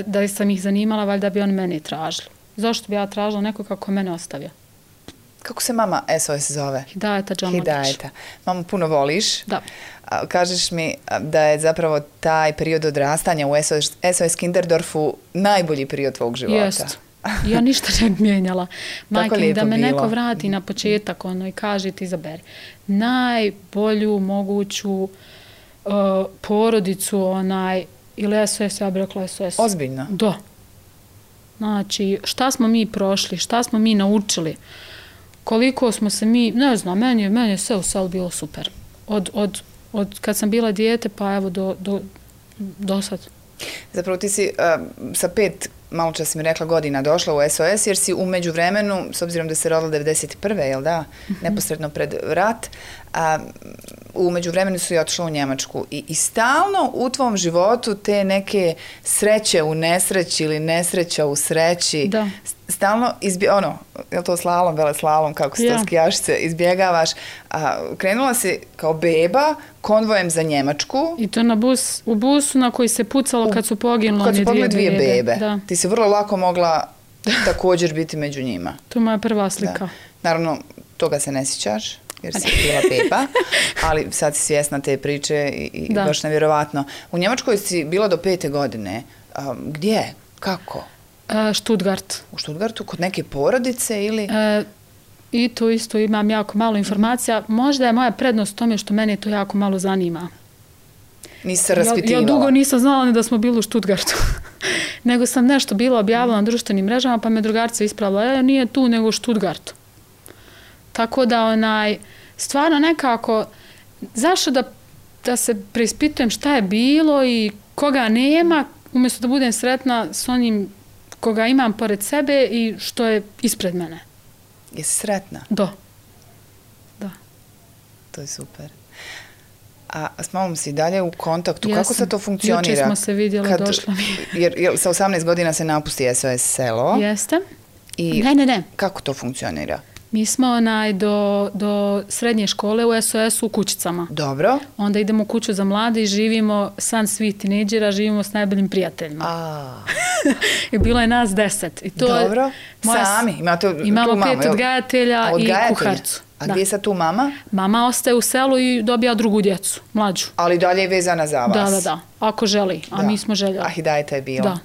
da sam ih zanimala, valjda bi oni mene tražili. Zašto bi ja tražila neko kako mene ostavio? Kako se mama SOS zove? Hidajeta Džamadić. Hidajeta. Mamu puno voliš? Da. Kažeš mi da je zapravo taj period odrastanja u SOS Kinderdorfu najbolji period tvog života. Jest. Ja ništa ne bi mijenjala. Majke, da me neko vrati na početak i kaže ti izaberi. Najbolju moguću porodicu ili SOS, ja bih rekla SOS. Ozbiljno? Da. Znači, šta smo mi prošli, šta smo mi naučili koliko smo se mi, ne znam, meni je sve u selu bilo super. Od kad sam bila dijete pa evo do sad. Zapravo ti si sa 5, malo čas si mi rekla, godina došla u SOS, jer si u međuvremenu, s obzirom da se rodila 91. jel da, neposredno pred rat, u međuvremenu su i otišla u Njemačku. I stalno u tvom životu te neke sreće u nesreći ili nesreća u sreći, da. Stalno, je li to slalom, veleslalom, kako se to skijašice, izbjegavaš. Krenula si kao beba konvojem za Njemačku. I to u busu na koji se pucalo kad su poginule dvije bebe. Da. Ti si vrlo lako mogla također biti među njima. To je moja prva slika. Da. Naravno, toga se ne sjećaš, jer si bila beba, ali sad si svjesna te priče i baš nevjerovatno. U Njemačkoj si bila do 5. godine. Gdje? Kako? Stuttgart. U Stuttgartu? Kod neke porodice ili? I tu isto imam jako malo informacija. Možda je moja prednost u tome što mene to jako malo zanima. Nisi se raspitivala? Ja dugo nisam znala ni da smo bili u Stuttgartu. Nego sam nešto bila objavila na društvenim mrežama, pa me drugarica ispravila, nije tu nego u Stuttgartu. Tako da stvarno nekako, zašto da se preispitujem šta je bilo i koga nema, umjesto da budem sretna s onim koga imam pored sebe i što je ispred mene. Jesi sretna? Da. To je super. A s mamom si dalje u kontaktu? Kako se to funkcionira? Juče smo se vidjela, došla mi. Jer sa 18 godina se napusti SOS selo. Jeste. I ne. Kako to funkcionira? Mi smo do srednje škole u SOS-u u Kućicama. Dobro. Onda idemo u kuću za mlade i živimo san svih tinejdžera, živimo s najboljim prijateljima. I bilo je nas 10. I to dobro. Sami? Imamo 5 odgajatelja i kuharcu. A gdje je sad tu mama? Mama ostaje u selu i dobija drugu djecu, mlađu. Ali dalje je vezana za vas? Da. Ako želi. A mi smo željeli. Hidajeta je bila.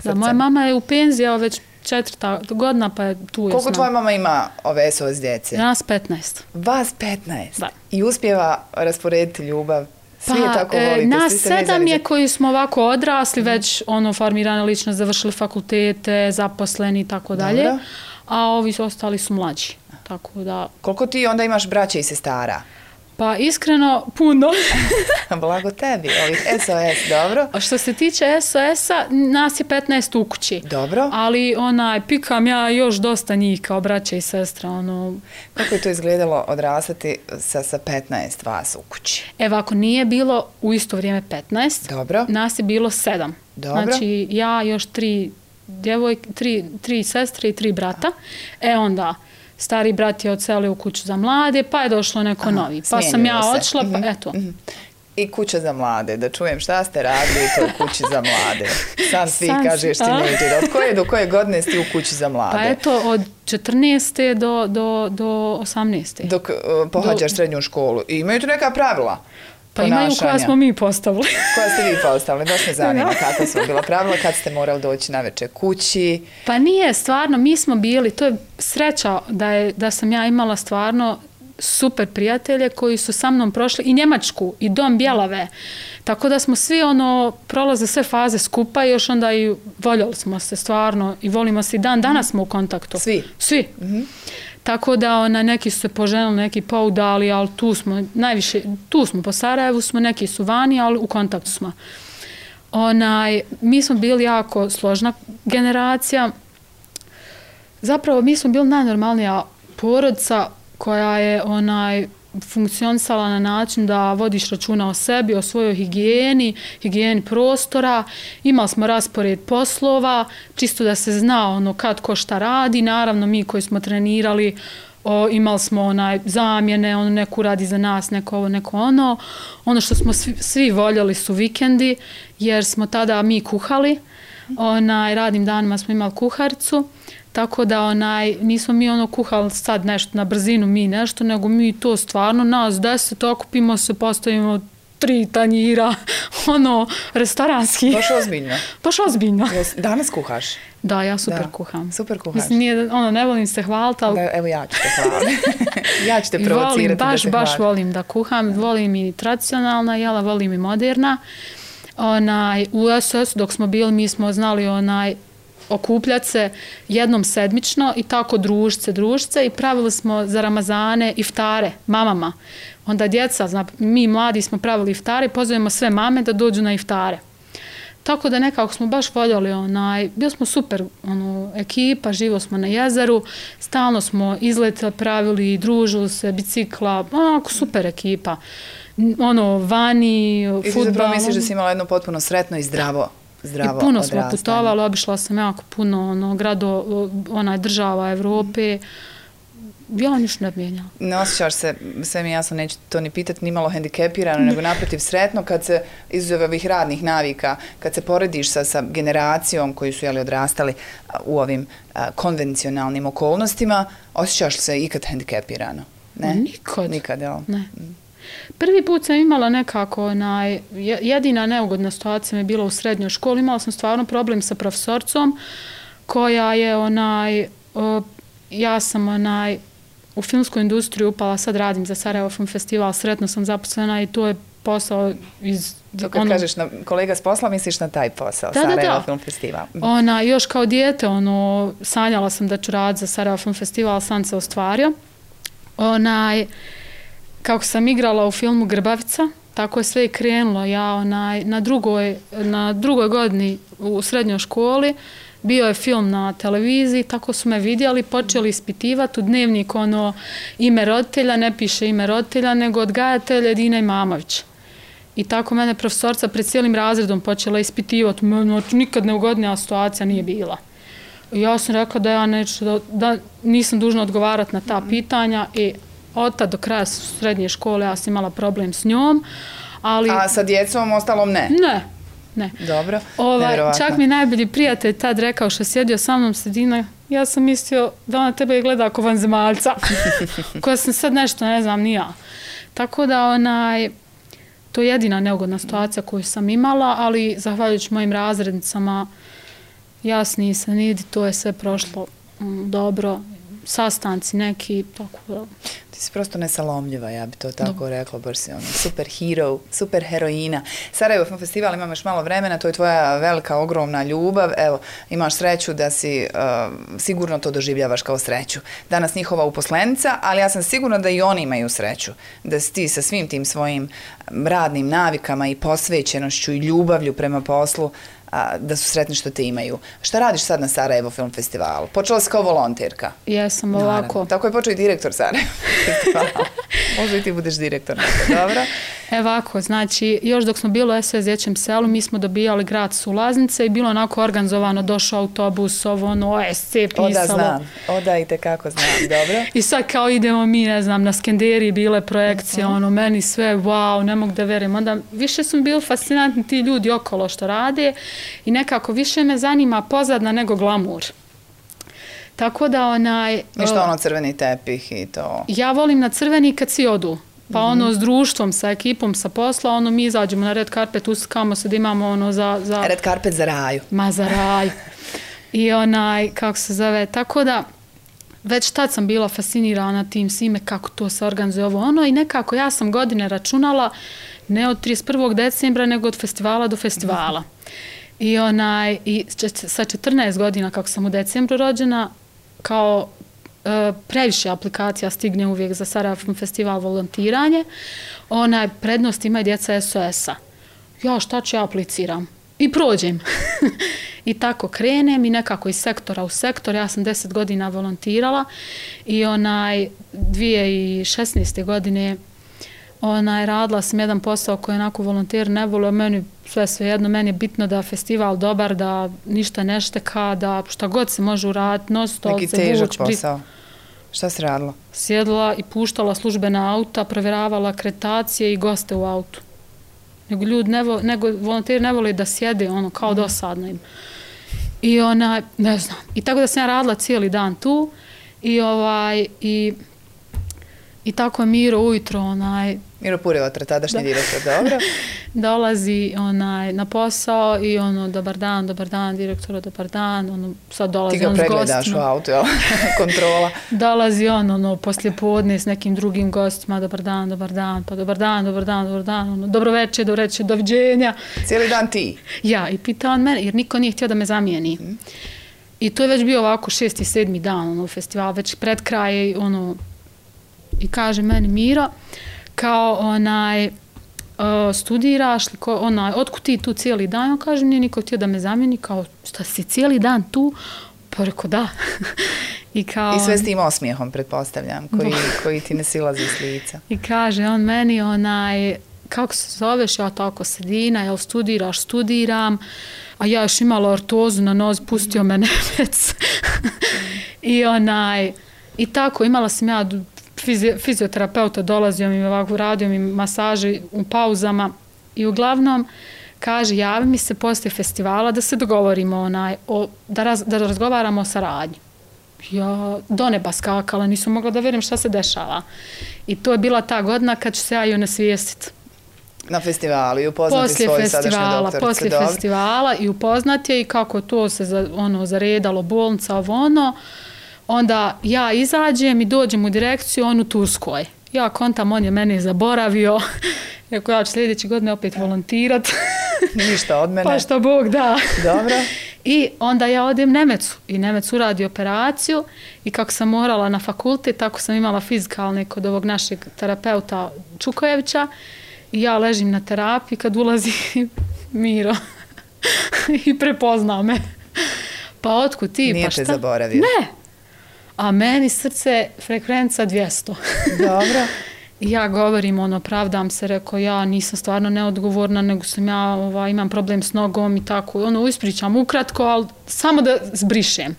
Da, moja mama je u penziji, već 4. godina, pa je tu. Koliko tvoja mama ima ove SOS djece? Nas 15. Vas 15? Da. I uspjeva rasporediti ljubav? Svi je tako volite? Nas 7 je koji smo ovako odrasli, već formirane ličnost, završili fakultete, zaposleni i tako dalje. A ovi ostali su mlađi. Tako da... Koliko ti onda imaš braće i sestara? Pa iskreno, puno. Blago tebi, ovih SOS, dobro. A što se tiče SOS-a, nas je 15 u kući. Dobro. Ali pikam ja još dosta njih kao braća i sestra. Kako je to izgledalo odrastati sa 15 vas u kući? Evo, ako nije bilo u isto vrijeme 15, dobro. Nas je bilo 7. Dobro. Znači, ja još 3 djevojke, 3 sestre i 3 brata. Onda... Stari brat je odselio u kuću za mlade, pa je došlo neko novi. Pa sam ja odšla, pa eto. I kuća za mlade, da čujem šta ste radili u toj kući za mlade. Sam svi kažeš tinejdžer. Od koje do koje godine si u kući za mlade? Pa eto, od 14. do 18. Dok pohađaš srednju školu. I imaju tu neka pravila? Pa imaju koja smo mi postavili. Koja ste vi postavili? Baš me zanima kakva su bila pravila, kad ste morali doći na večer kući. Pa nije, stvarno, mi smo bili, to je sreća da sam ja imala stvarno super prijatelje koji su sa mnom prošli i Njemačku i Dom Bjelave. Tako da smo svi prolaze sve faze skupa i još onda i voljeli smo se stvarno i volimo se i danas smo u kontaktu. Svi. Tako da neki su se poženili, neki poudali, ali tu smo po Sarajevu, neki su vani, ali u kontaktu smo. Mi smo bili jako složna generacija. Zapravo mi smo bili najnormalnija porodica koja je funkcionisala na način da vodiš računa o sebi, o svojoj higijeni prostora. Imali smo raspored poslova, čisto da se zna kad ko šta radi. Naravno, mi koji smo trenirali, imali smo zamjene, neku radi za nas, neko ovo, neko ono. Ono što smo svi voljeli su vikendi, jer smo tada mi kuhali. Radnim danima smo imali kuharicu. Tako da nismo mi kuhali sad nešto na brzinu, mi nešto, nego mi to stvarno nas 10 okupimo se, postavimo 3 tanjira, restoranski. Baš ozbiljno. Danas kuhaš? Da, ja super kuham. Super kuhaš. Mislim, ne volim se hvaliti, ali... Evo ja ću te hvaliti. Ja ću te provocirati da se baš volim da kuham, volim i tradicionalna jela, volim i moderna. U SOS dok smo bili, mi smo znali okupljati se jednom sedmično i tako družice i pravili smo za Ramazane iftare mamama. Onda djeca, mi mladi smo pravili iftare i pozovemo sve mame da dođu na iftare. Tako da nekako smo baš voljeli, bili smo super ekipa, živo smo na jezeru, stalno smo izlete pravili, družili se, bicikla, onako super ekipa. Vani, fudbal. I ti zapravo misliš da si imala jedno potpuno sretno i zdravo i puno smo putovali, obišla sam jako puno država Evrope. Ja ništa ne mijenjala. Ne osjećaš se, sve mi jasno, neću to ni pitati, ni malo hendikepirano, nego naprotiv sretno kad se izuzev ovih radnih navika, kad se porediš sa generacijom koji su odrastali u ovim konvencionalnim okolnostima, osjećaš se ikad hendikepirano? Ne? Nikad. Nikad, jel? Ne. Prvi put sam imala nekako, jedina neugodna situacija mi je bila u srednjoj školi, imala sam stvarno problem sa profesorcom koja je ja sam u filmsku industriju upala, sad radim za Sarajevo Film Festival, sretno sam zaposlena i to je posao iz... To kad kažeš kolega s posla, misliš na taj posao, Sarajevo Film Festival. Još kao dijete, sanjala sam da ću raditi za Sarajevo Film Festival, sam se ostvario. Kako sam igrala u filmu Grbavica, tako je sve i krenulo. Ja na drugoj godini u srednjoj školi bio je film na televiziji, tako su me vidjeli, počeli ispitivati u dnevnik ime roditelja, ne piše ime roditelja, nego odgajatelj Edina Imamović. I tako mene profesorca pred cijelim razredom počela ispitivati, nikad neugodnija situacija nije bila. I ja sam rekla da ja da nisam dužna odgovarati na ta pitanja i od tada do kraja srednje škole ja sam imala problem s njom. A sa djecom ostalom ne? Ne. Dobro, čak mi najbolji prijatelj tad rekao što sjedio sa mnom sredina, ja sam mislio da ona tebe gleda ako vanzemaljca, koja sam sad nešto ne znam ni ja. Tako da to je jedina neugodna situacija koju sam imala, ali zahvaljujući mojim razrednicama jasni se nidi, to je sve prošlo dobro, sastanci neki, tako da... Ti si prosto nesalomljiva, ja bi to tako rekla, baš si super hero, super heroina. Sarajevo Film Festival, imam još malo vremena, to je tvoja velika, ogromna ljubav, evo, imaš sreću da si, sigurno to doživljavaš kao sreću. Danas njihova uposlenica, ali ja sam sigurna da i oni imaju sreću, da si ti sa svim tim svojim radnim navikama i posvećenošću i ljubavlju prema poslu, da su sretni što te imaju. Šta radiš sad na Sarajevo Film Festivalu? Počela si kao volonterka. Jesam, ovako. Tako je počeo i direktor Sarajevo Festivala. Možda i ti budeš direktor. Dobro. Ovako, znači, još dok smo bili u SOS Dječjem selu, mi smo dobijali gratis ulaznice i bilo onako organizovano, došao autobus, OSC pisalo. Oda znam, i tekako znam, dobro. I sad kao idemo mi, ne znam, na Skenderiji bile projekcije, meni sve, wow, ne mogu da verujem. Onda više su mi bili fascinantni ti ljudi okolo što rade i nekako više me zanima pozadna nego glamur. Tako da I što crveni tepih i to? Ja volim na crveni kad svi odu. Pa s društvom, sa ekipom, sa posla, mi izađemo na red carpet, uskamo se da imamo za... Red carpet za raju. Ma za raju. I kako se zove, tako da već tad sam bila fascinirana tim svime kako to se organizuje i nekako ja sam godine računala ne od 31. decembra nego od festivala do festivala. I sa 14 godina kako sam u decembru rođena, kao previše aplikacija stigne uvijek za Sarajevo Film Festival volontiranje, prednost imaju djeca SOS-a. Ja šta ću, ja apliciram. I prođem. I tako krenem i nekako iz sektora u sektor. Ja sam 10 godina volontirala i 2016. godine radila sam jedan posao koji onako volonter ne volio, meni svejedno, meni je bitno da je festival dobar, da ništa ne šteka, da šta god se može uraditi, neki težak posao. Šta si radila? Sjedila i puštala službena auta, provjeravala akreditacije i goste u autu. Nego volonteri ne vole da sjede, kao dosadno im. I ne znam. I tako da sam ja radila cijeli dan tu i tako je Miro ujutro, Miro Purjevatra, tadašnji direktor, dobro. Dolazi na posao i dobar dan, direktora, dobar dan, sad dolazi s gostima. Ti ga pregledaš u autu, jel? Kontrola. Dolazi poslije podne s nekim drugim gostima, dobar dan, pa dobar dan, dobro večer, doviđenja. Cijeli dan ti? Ja, i pita on mene, jer niko nije htio da me zamijeni. I to je već bio ovako 6. i 7. dan festival, već pred kraj i kaže meni Miro, kao studiraš, otkud ti tu cijeli dan? On kaže, nije niko htio da me zamijeni, kao šta si cijeli dan tu? Pa rekao da. I sve s tim osmijehom, pretpostavljam, koji ti ne silazi s lica. I kaže on meni, kako se zoveš, ja tako Sedina, jel studiraš, studiram, a ja još imala ortozu na nozi, pustio me nemec. I tako, imala sam ja fizioterapeuta, dolazio mi ovako, radio mi masaže u pauzama i uglavnom kaže, javi mi se poslije festivala da se dogovorimo, da razgovaramo o saradnji. Ja do neba skakala, nisam mogla da vjerujem šta se dešava. I to je bila ta godina kad ću se ja i onesvijestiti. Na festivalu i upoznati svoju sadašnju doktoricu. Poslije festivala i upoznati je i kako to se zaredalo, bolnica, onda ja izađem i dođem u direkciju, on u Turskoj. Ja kontam, on je mene zaboravio. Rekao, ja ću sljedeće godine opet volontirat. Ništa od mene. Pa što Bog da. Dobro. I onda ja odem Nemecu i Nemec uradi operaciju i kako sam morala na fakultet, tako sam imala fizikalne kod ovog našeg terapeuta Čukojevića i ja ležim na terapiji kad ulazi Miro i prepozna me. Pa otkud ti? Nije pa šta? Te zaboravio. Ne. A meni srce frekvenca 200. Dobro. I ja govorim, pravdam se, rekao, ja nisam stvarno neodgovorna, nego sam ja, imam problem s nogom i tako, ispričam ukratko, ali samo da zbrišem.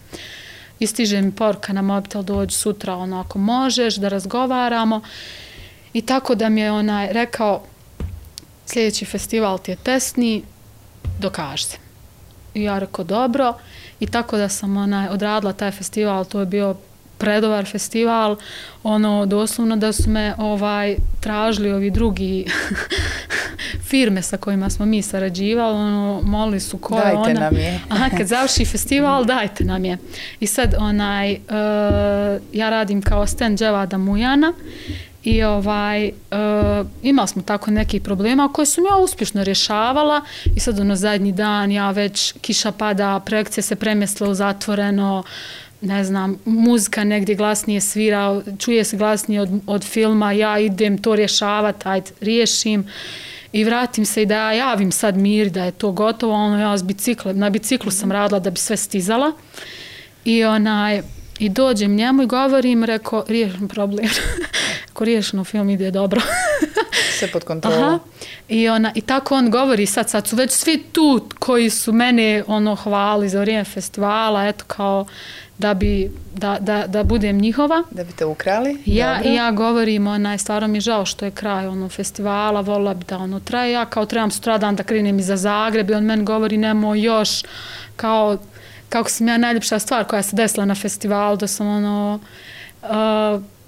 I stiže mi poruka na mobitel, dođi sutra, ako možeš, da razgovaramo. I tako da mi je rekao, sljedeći festival ti je testni, dokaži se. I ja rekao, dobro. I tako da sam odradila taj festival, to je bio predobar festival, doslovno da su me tražili ovi drugi firme sa kojima smo mi sarađivali, molili su ko je ona. Dajte nam je. Aha, kad završi festival, dajte nam je. I sad ja radim kao stand Dževada Mujana i imali smo tako nekih problema koje sam ja uspješno rješavala i sad zadnji dan ja već kiša pada, projekcije se premjestile u zatvoreno, ne znam, muzika negdje glasnije svira, čuje se glasnije od filma, ja idem to rješavati, ajde, riješim i vratim se i da ja javim sad Miri da je to gotovo, ja na biciklu sam radila da bi sve stizala i dođem njemu i govorim, rekao, riješim problem. Ako riješeno, film ide dobro. Sve pod kontrolom. I tako on govori, sad su već svi tu koji su mene hvali za vrijeme festivala, eto kao da budem njihova. Da bi te ukrali? Ja govorim, stvarno mi je žao što je kraj festivala, volila bi da traje. Ja kao trebam sutradan da krenem i za Zagreb i on meni govori, nemoj još, kao kako sam ja najljepša stvar koja se desila na festivalu, da sam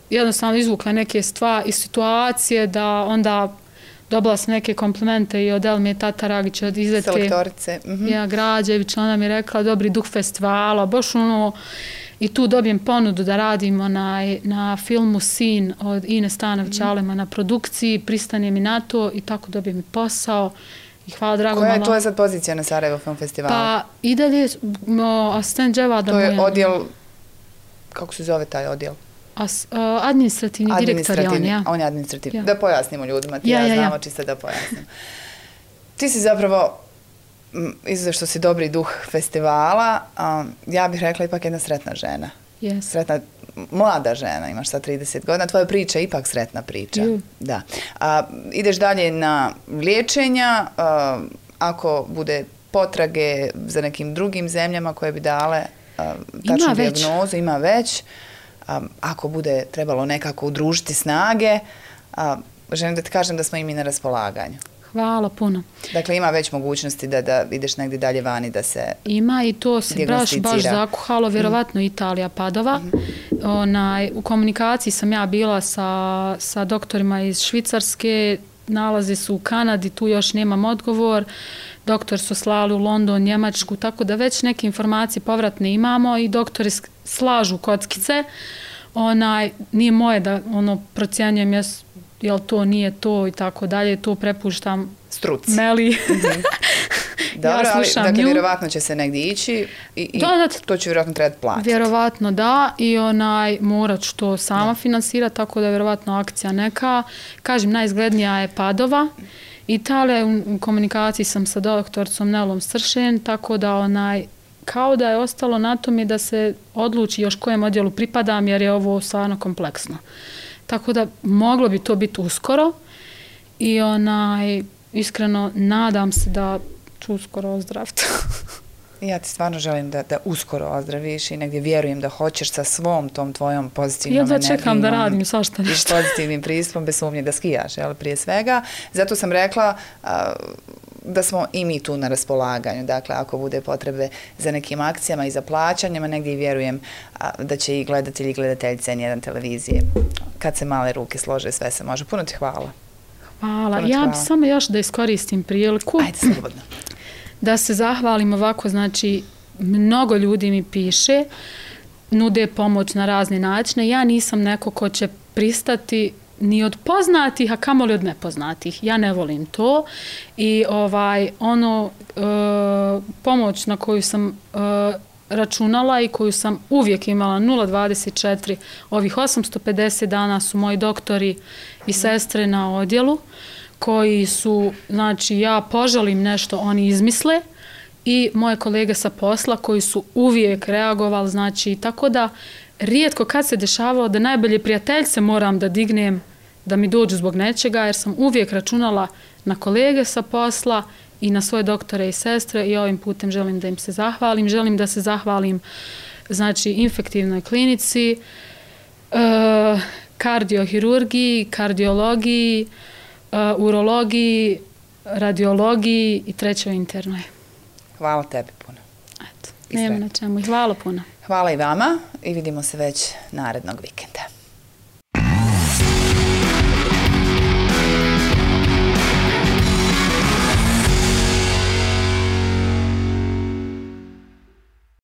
jednostavno izvukla neke stvari i situacije, da onda dobila sam neke komplimente i od Elme Tataragića, od izvedke Selektorice. Građević, ona mi je rekla dobri duh festivala, baš i tu dobijem ponudu da radim na filmu Sin od Ine Stanović-Alema na produkciji, pristane mi na to i tako dobijem i posao. I hvala drago. Koja je tvoja sad pozicija na Sarajevo Film Festivalu? Pa i dalje asistent Dževada Mujana. To je odjel, kako se zove taj odjel? Administrativni direktor je on, ja. On je administrativni. Ja. Da pojasnimo ljudima, znamo čisto da pojasnim. Ti si zapravo, izuzev što si dobri duh festivala, ja bih rekla ipak jedna sretna žena. Yes. Sretna, mlada žena, imaš sad 30 godina, tvoja priča je ipak sretna priča. Da. Ideš dalje na liječenja, ako bude potrage za nekim drugim zemljama koje bi dale tačnu dijagnozu, ima već. Ako bude trebalo nekako udružiti snage, želim da ti kažem da smo i mi na raspolaganju. Hvala puno. Dakle, ima već mogućnosti da ideš negdje dalje vani da se ima i to se baš zakuhalo, vjerovatno Italija, Padova. U komunikaciji sam ja bila sa doktorima iz Švicarske, nalaze su u Kanadi, tu još nemam odgovor. Doktor su slali u London, Njemačku, tako da već neke informacije povratne imamo i doktori slažu kockice. Nije moje da procjenjujem jel to nije to i tako dalje, to prepuštam struci. Meli Dobro, ja slušam ali, dakle, nju. vjerovatno će se negdje ići i to će vjerovatno trebati platiti. Vjerovatno da i morat ću to sama finansirati, tako da je vjerovatno akcija neka. Kažem, najizglednija je Padova. Italija, u komunikaciji sam sa doktorcom Nelom Sršen, tako da kao da je ostalo na tome da se odluči još kojem odjelu pripadam, jer je ovo stvarno kompleksno. Tako da moglo bi to biti uskoro i iskreno nadam se da ću uskoro ozdraviti. Ja ti stvarno želim da uskoro ozdraviš i negdje vjerujem da hoćeš sa svom tom tvojom pozitivnom energijom. Ja čekam da radim svašta nešto. I pozitivnim pristupom, bez sumnje da skijaš, prije svega. Zato sam rekla da smo i mi tu na raspolaganju. Dakle, ako bude potrebe za nekim akcijama i za plaćanjima, negdje vjerujem da će i gledatelji i gledateljice N1 televizije. Kad se male ruke slože, sve se može. Puno ti hvala. Hvala. Ja bi samo još da iskoristim priliku. Ajde, slobodno. Da se zahvalim ovako, znači, mnogo ljudi mi piše, nude pomoć na razne načine. Ja nisam neko ko će pristati ni od poznatih, a kamoli od nepoznatih. Ja ne volim to. I pomoć na koju sam računala i koju sam uvijek imala 0,24, ovih 850 dana su moji doktori i sestre na odjelu, koji su, znači, ja poželim nešto, oni izmisle, i moje kolege sa posla koji su uvijek reagovali, znači, tako da rijetko kad se dešavalo da najbolje prijateljce moram da dignem da mi dođu zbog nečega, jer sam uvijek računala na kolege sa posla i na svoje doktore i sestre i ovim putem želim da im se zahvalim. Želim da se zahvalim, znači, infektivnoj klinici, kardiohirurgiji, kardiologiji, urologiji, radiologiji i trećoj internoj. Hvala tebi puno. Eto, nema na čemu i hvala puno. Hvala i vama i vidimo se već narednog vikenda.